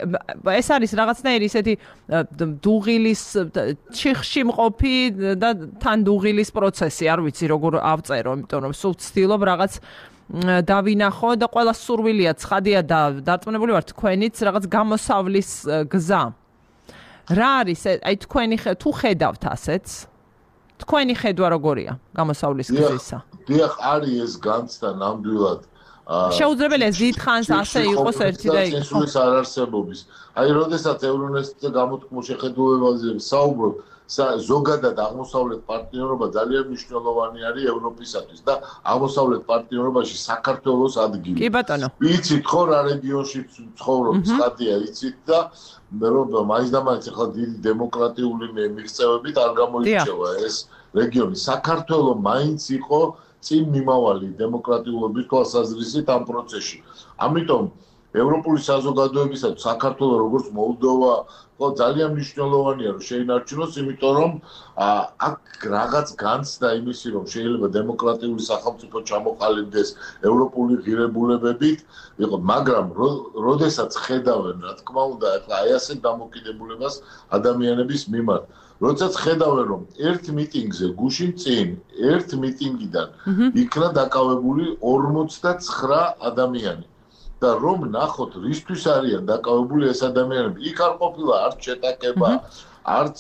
ეს არის რაღაცნაირი ისეთი დუღილის ჩიხში მყოფი და თან დუღილის პროცესი, არ ვიცი როგორ ავწერო, იმიტომ რომ სულ ვცდილობ რაღაც დავინახო და ყველა სურვილია ცხადია და დარწმუნებული ვარ თქვენიც რაღაც გამოსავლის გზა. რა არის აი თქვენი თუ ხედავთ ასეც? თქვენი ხედვა როგორია გამოსავლის გზისა? დიახ, არის ეს განცდა ნამდვილად. შეუძლებელია დიდხანს ასე იყოს ერთი და იქ. ეს არ არსებობის. აი, როდესაც ევრონესტზე გამოთქმულ შეხედულებაზე საუბრობ, ზოგადად აღმოსავლეთ პარტნიორობა ძალიან მნიშვნელოვანი არის ევროპისათვის და აღმოსავლეთ პარტნიორობაში საქართველოს ადგილი. კი ბატონო. იცით ხო რა რეგიონში ცხოვრობ, ცხადია, იცით და რომ მაინც და მაინც ახლა დიდი დემოკრატიული მიღწევებით არ გამოირჩევა ეს რეგიონი. საქართველოს მაინც იყო წინ მიმავალი დემოკრატიულობის თვალსაზრისით ამ პროცესში. ამიტომ ევროპული საზოგადოებისათვის საქართველოს როგორც მოლდოვა ძალიან მნიშვნელოვანია რომ შეინარჩუნოს, იმიტომ რომ აქ რაღაც განცდა იმისი რომ შეიძლება დემოკრატიული სახელმწიფო ჩამოყალიბდეს ევროპული ღირებულებებით, მაგრამ როდესაც ხედავენ რა თქმა უნდა ახლა აი ასეთ დამოკიდებულებას ადამიანების მიმართ, როდესაც ხედავენ რომ ერთ მიტინგზე გუშინ წინ ერთ მიტინგიდან იქნა დაკავებული 49 ადამიანი. და რომ ნახოთ რისთვის არიან დაკავებული ეს ადამიანები. იქ არ ყოფილა არც შეტაკება, არც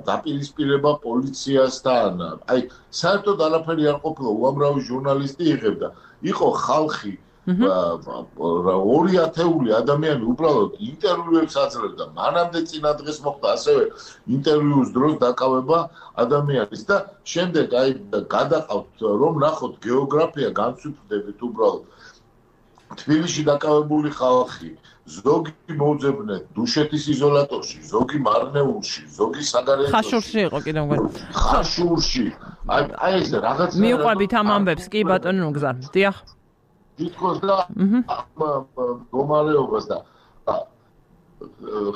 დაპირისპირება პოლიციასთან. აი, საერთოდ არაფერი არ ყოფილა, უამრავი ჟურნალისტი იღებდა. იყო ხალხი, 2,000 ადამიანი უბრალოდ ინტერვიუებს აძლევდა. მანამდე წინა დღეს მოხდა ასევე ინტერვიუს დროს დაკავება ადამიანის და შემდეგ აი გადაყავთ რომ ნახოთ გეოგრაფია განსვიფრდებით უბრალოდ. თბილისში დაკავებული ხალხი, ზოგი მოუძებნე დუშეთის იზოლატორში, ზოგი მარნეულში, ზოგი საგარეჯოში. ხაშურში იყო კიდევ მგონი. ხაშურში. აი ეს რაღაც მიუყვებით ამ ამბებს, კი ბატონო ნუგზარ. დიახ. თითქოს და მდგომარეობას და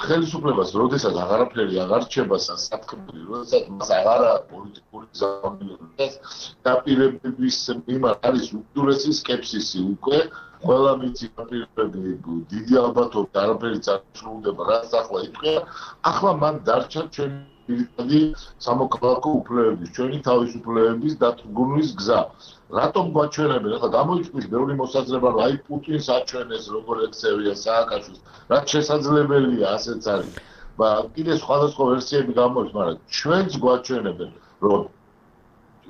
ხელისუფლებას, როდესაც აღარაფერი აღარ რჩება სასათქმელი, როდესაც მას აღარა პოლიტიკური ზამთრის დაპირებების მიმართ არის უკიდურესი სკეპსისი უკვე ყველა მიცი დაპირებები დიდი ალბათობით არაფერი წარსულდება, რაც ახლა იტყვია, ახლა მან დარჩა ჩვენი პირადი სამოქალაქო უფლებების, ჩვენი თავისუფლებების დათრგუნვის გზა. რატომ გვაჩვენებენ? ახლა გამოიწვია ბევრი მოსაზრება, რომ აი პუტინს აჩვენეს როგორ ექცევია სააკაშვილს. რაც შესაძლებელია, ასეც არის. კიდე სხვადასხვა ვერსიები გამოდის, მაგრამ ჩვენც გვაჩვენებენ,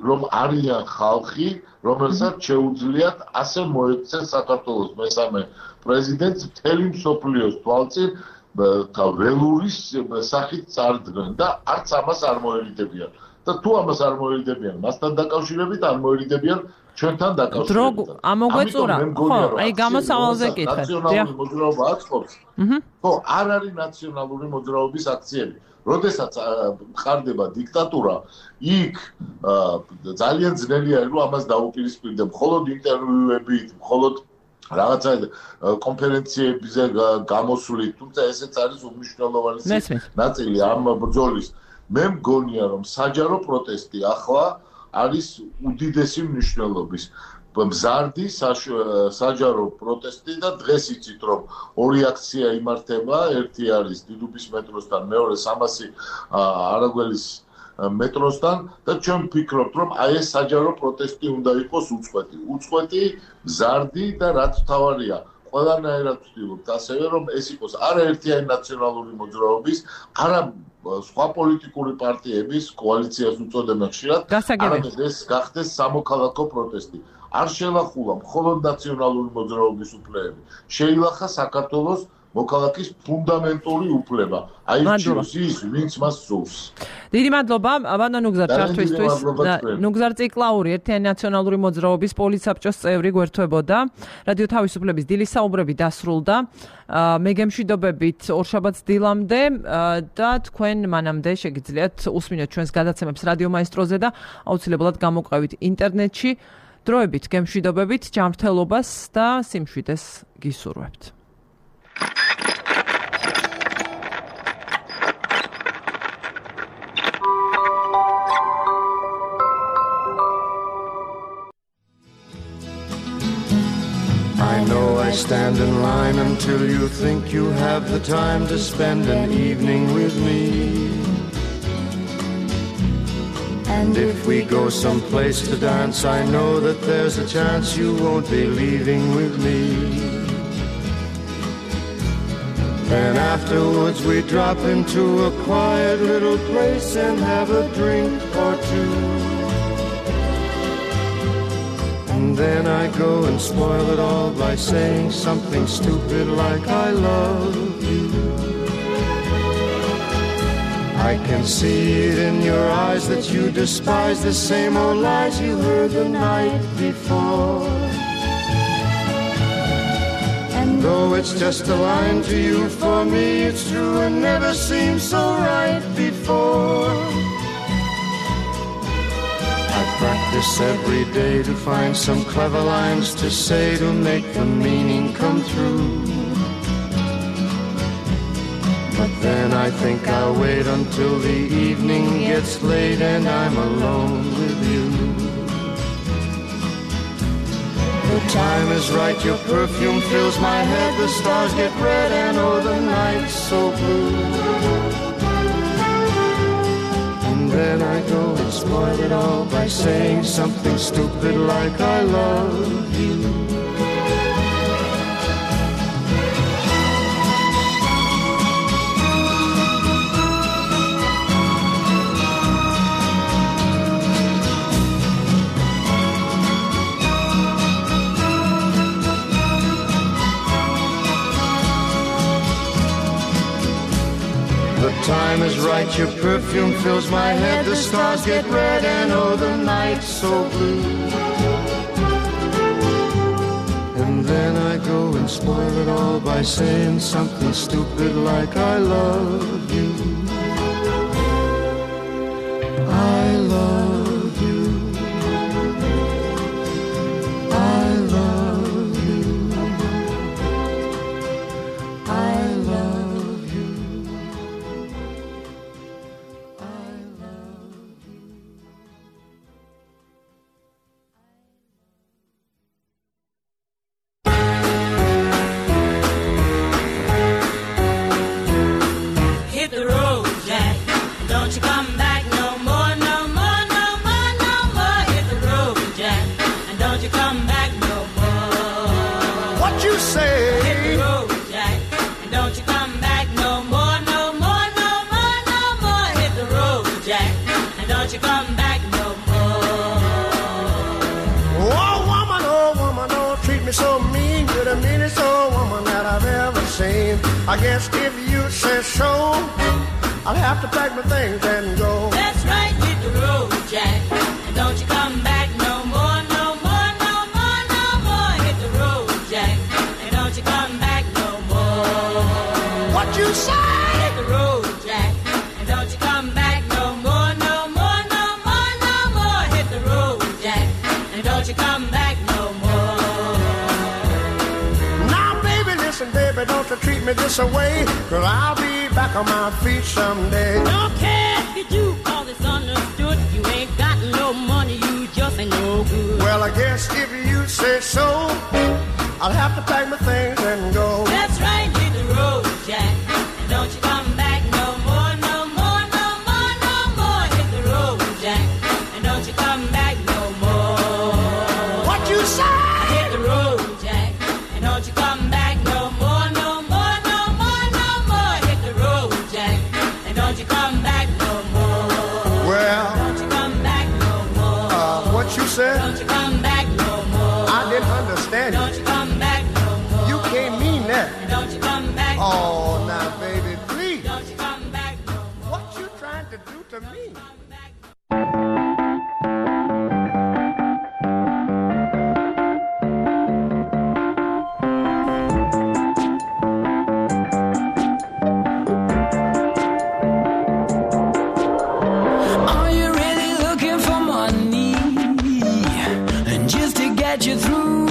რომ არიან ხალხი, რომელსაც შეუძლიათ ასე მოექცეს საქართველოს მესამე პრეზიდენტს მთელი მსოფლიოს თვალწინ ველურის სახით წარდგნენ და არც ამას არ მოერიდებიან. და თუ ამას არ მოერიდებიან, მასთან დაკავშირებით არ მოერიდებიან ჩვენთან დაკავშირებით. ამოგვეწურა, ხო, აი გამოსავალზე კითხეთ. ნაციონალური მოძრაობა აწყობს. ხო, არ არის ნაციონალური მოძრაობის აქციები. როდესაც ხარდება დიქტატურა, იქ ძალიან ძნელია რომ ამას დაუპირისპირდე, მხოლოდ ინტერვიუებით, მხოლოდ რაღაცა კონფერენციებზე გამოსვლით, თუმცა ესეც არის უმნიშვნელოვანესი ნაწილი ამ ბრძოლის. მე მგონია რომ საჯარო პროტესტი ახლა არის უდიდესი მნიშვნელობის. მზარდი საჯარო პროტესტი და დღეს იცით რომ ორი აქცია იმართება, ერთი არის დიდუბის მეტროსთან, მეორე 300 არაგველის მეტროსთან და ჩვენ ვფიქრობთ რომ აი ეს საჯარო პროტესტი უნდა იყოს უწყვეტი, მზარდი და რაც თავარია ყველანაირად ვცდილობთ ასევე რომ ეს იყოს არაერთიანი ნაციონალური მოძრაობის, არა სხვა პოლიტიკური პარტიების კოალიციას უწოდებენ ხშირად, არამედ ეს გახდეს სამოქალაქო პროტესტი. არ შელახულა მხოლოდ ნაციონალური მოძრაობის უფლებები. შეილახა საქართველოს მოქალაქის ფუნდამენტური უფლება. აირჩიოს ის, ვინც მას სურს. დიდი მადლობა, ბატონო ნუგზარ ჩართვისთვის. ნუგზარ ციკლაური ერთიანი ნაციონალური მოძრაობის პოლიცსაბჭოს წევრი გვერდთვებოდა. რადიო თავისუფლების დილის საუბრები დასრულდა. მე გემშვიდობებით ორშაბათს დილამდე და თქვენ მანამდე შეგიძლიათ უსმინოთ ჩვენს გადაცემებს რადიო მაესტროზე და აუცილებლად გამოყვებით ინტერნეტში. დროებით გემშვიდობებით, ჯანმრთელობას და სიმშვიდეს გისურვებთ. I know I stand in line until you think you have the time to spend an evening with me. And if we go someplace to dance, I know that there's a chance you won't be leaving with me. Then afterwards we drop into a quiet little place and have a drink or two. And then I go and spoil it all by saying something stupid like I love you. I can see it in your eyes that you despise the same old lies you heard the night before. And though it's just a line to you, for me it's true and never seemed so right before. I practice every day to find some clever lines to say to make the meaning come through. But then I think I'll wait until the evening gets late and I'm alone with you. The time is right, your perfume fills my head, the stars get red and oh the night's so blue. And then I go and spoil it all by saying something stupid like I love you. The time is right, your perfume fills my head, the stars get red and oh the night's so blue. And then I go and spoil it all by saying something stupid like I love you. I love you. I love you. I love you. Hit the road, Jack. Don't you come back no more, no more, no more, no more. Hit the road, Jack. And don't you come back no more. What you say? Hit the road, Jack. And don't you come back no more, no more, no more, no more. Hit the road, Jack. And don't you come back no more. Oh woman, don't treat me so mean. You're the meanest old woman that I've ever seen. I guess if you say so, I'll have to pack my things and go. That's right, hit the road, Jack. And don't you come back no more, no more, no more, no more. Hit the road, Jack. And don't you come back no more. What you say? Hit the road, Jack. And don't you come back no more, no more, no more, no more. Hit the road, Jack. And don't you come back no more. Now baby, listen baby, don't you treat me this away, 'cause I'll be back on my feet someday. Don't care if you do, 'cause it's understood. You ain't got no money, you just ain't no good. Well, I guess if you say so, I'll have to pack my things and go. That's right, hit the road, Jack. And don't you come back no more, no more, no more, no more. Hit the road, Jack. And don't you come back no more. What you say? Hit the road, Jack. And don't you come back no more, no more, no more, no more. Hit the road, Jack. And don't you come back no more. Well, Don't you come back no more. what you said? Don't you come back no more. I didn't understand Don't you. you come back no more. You can't mean that. Don't you come back no Oh, more. now baby, please. Don't you come back no more. What you trying to do to me? Come back. Are you really looking for money? And just to get you through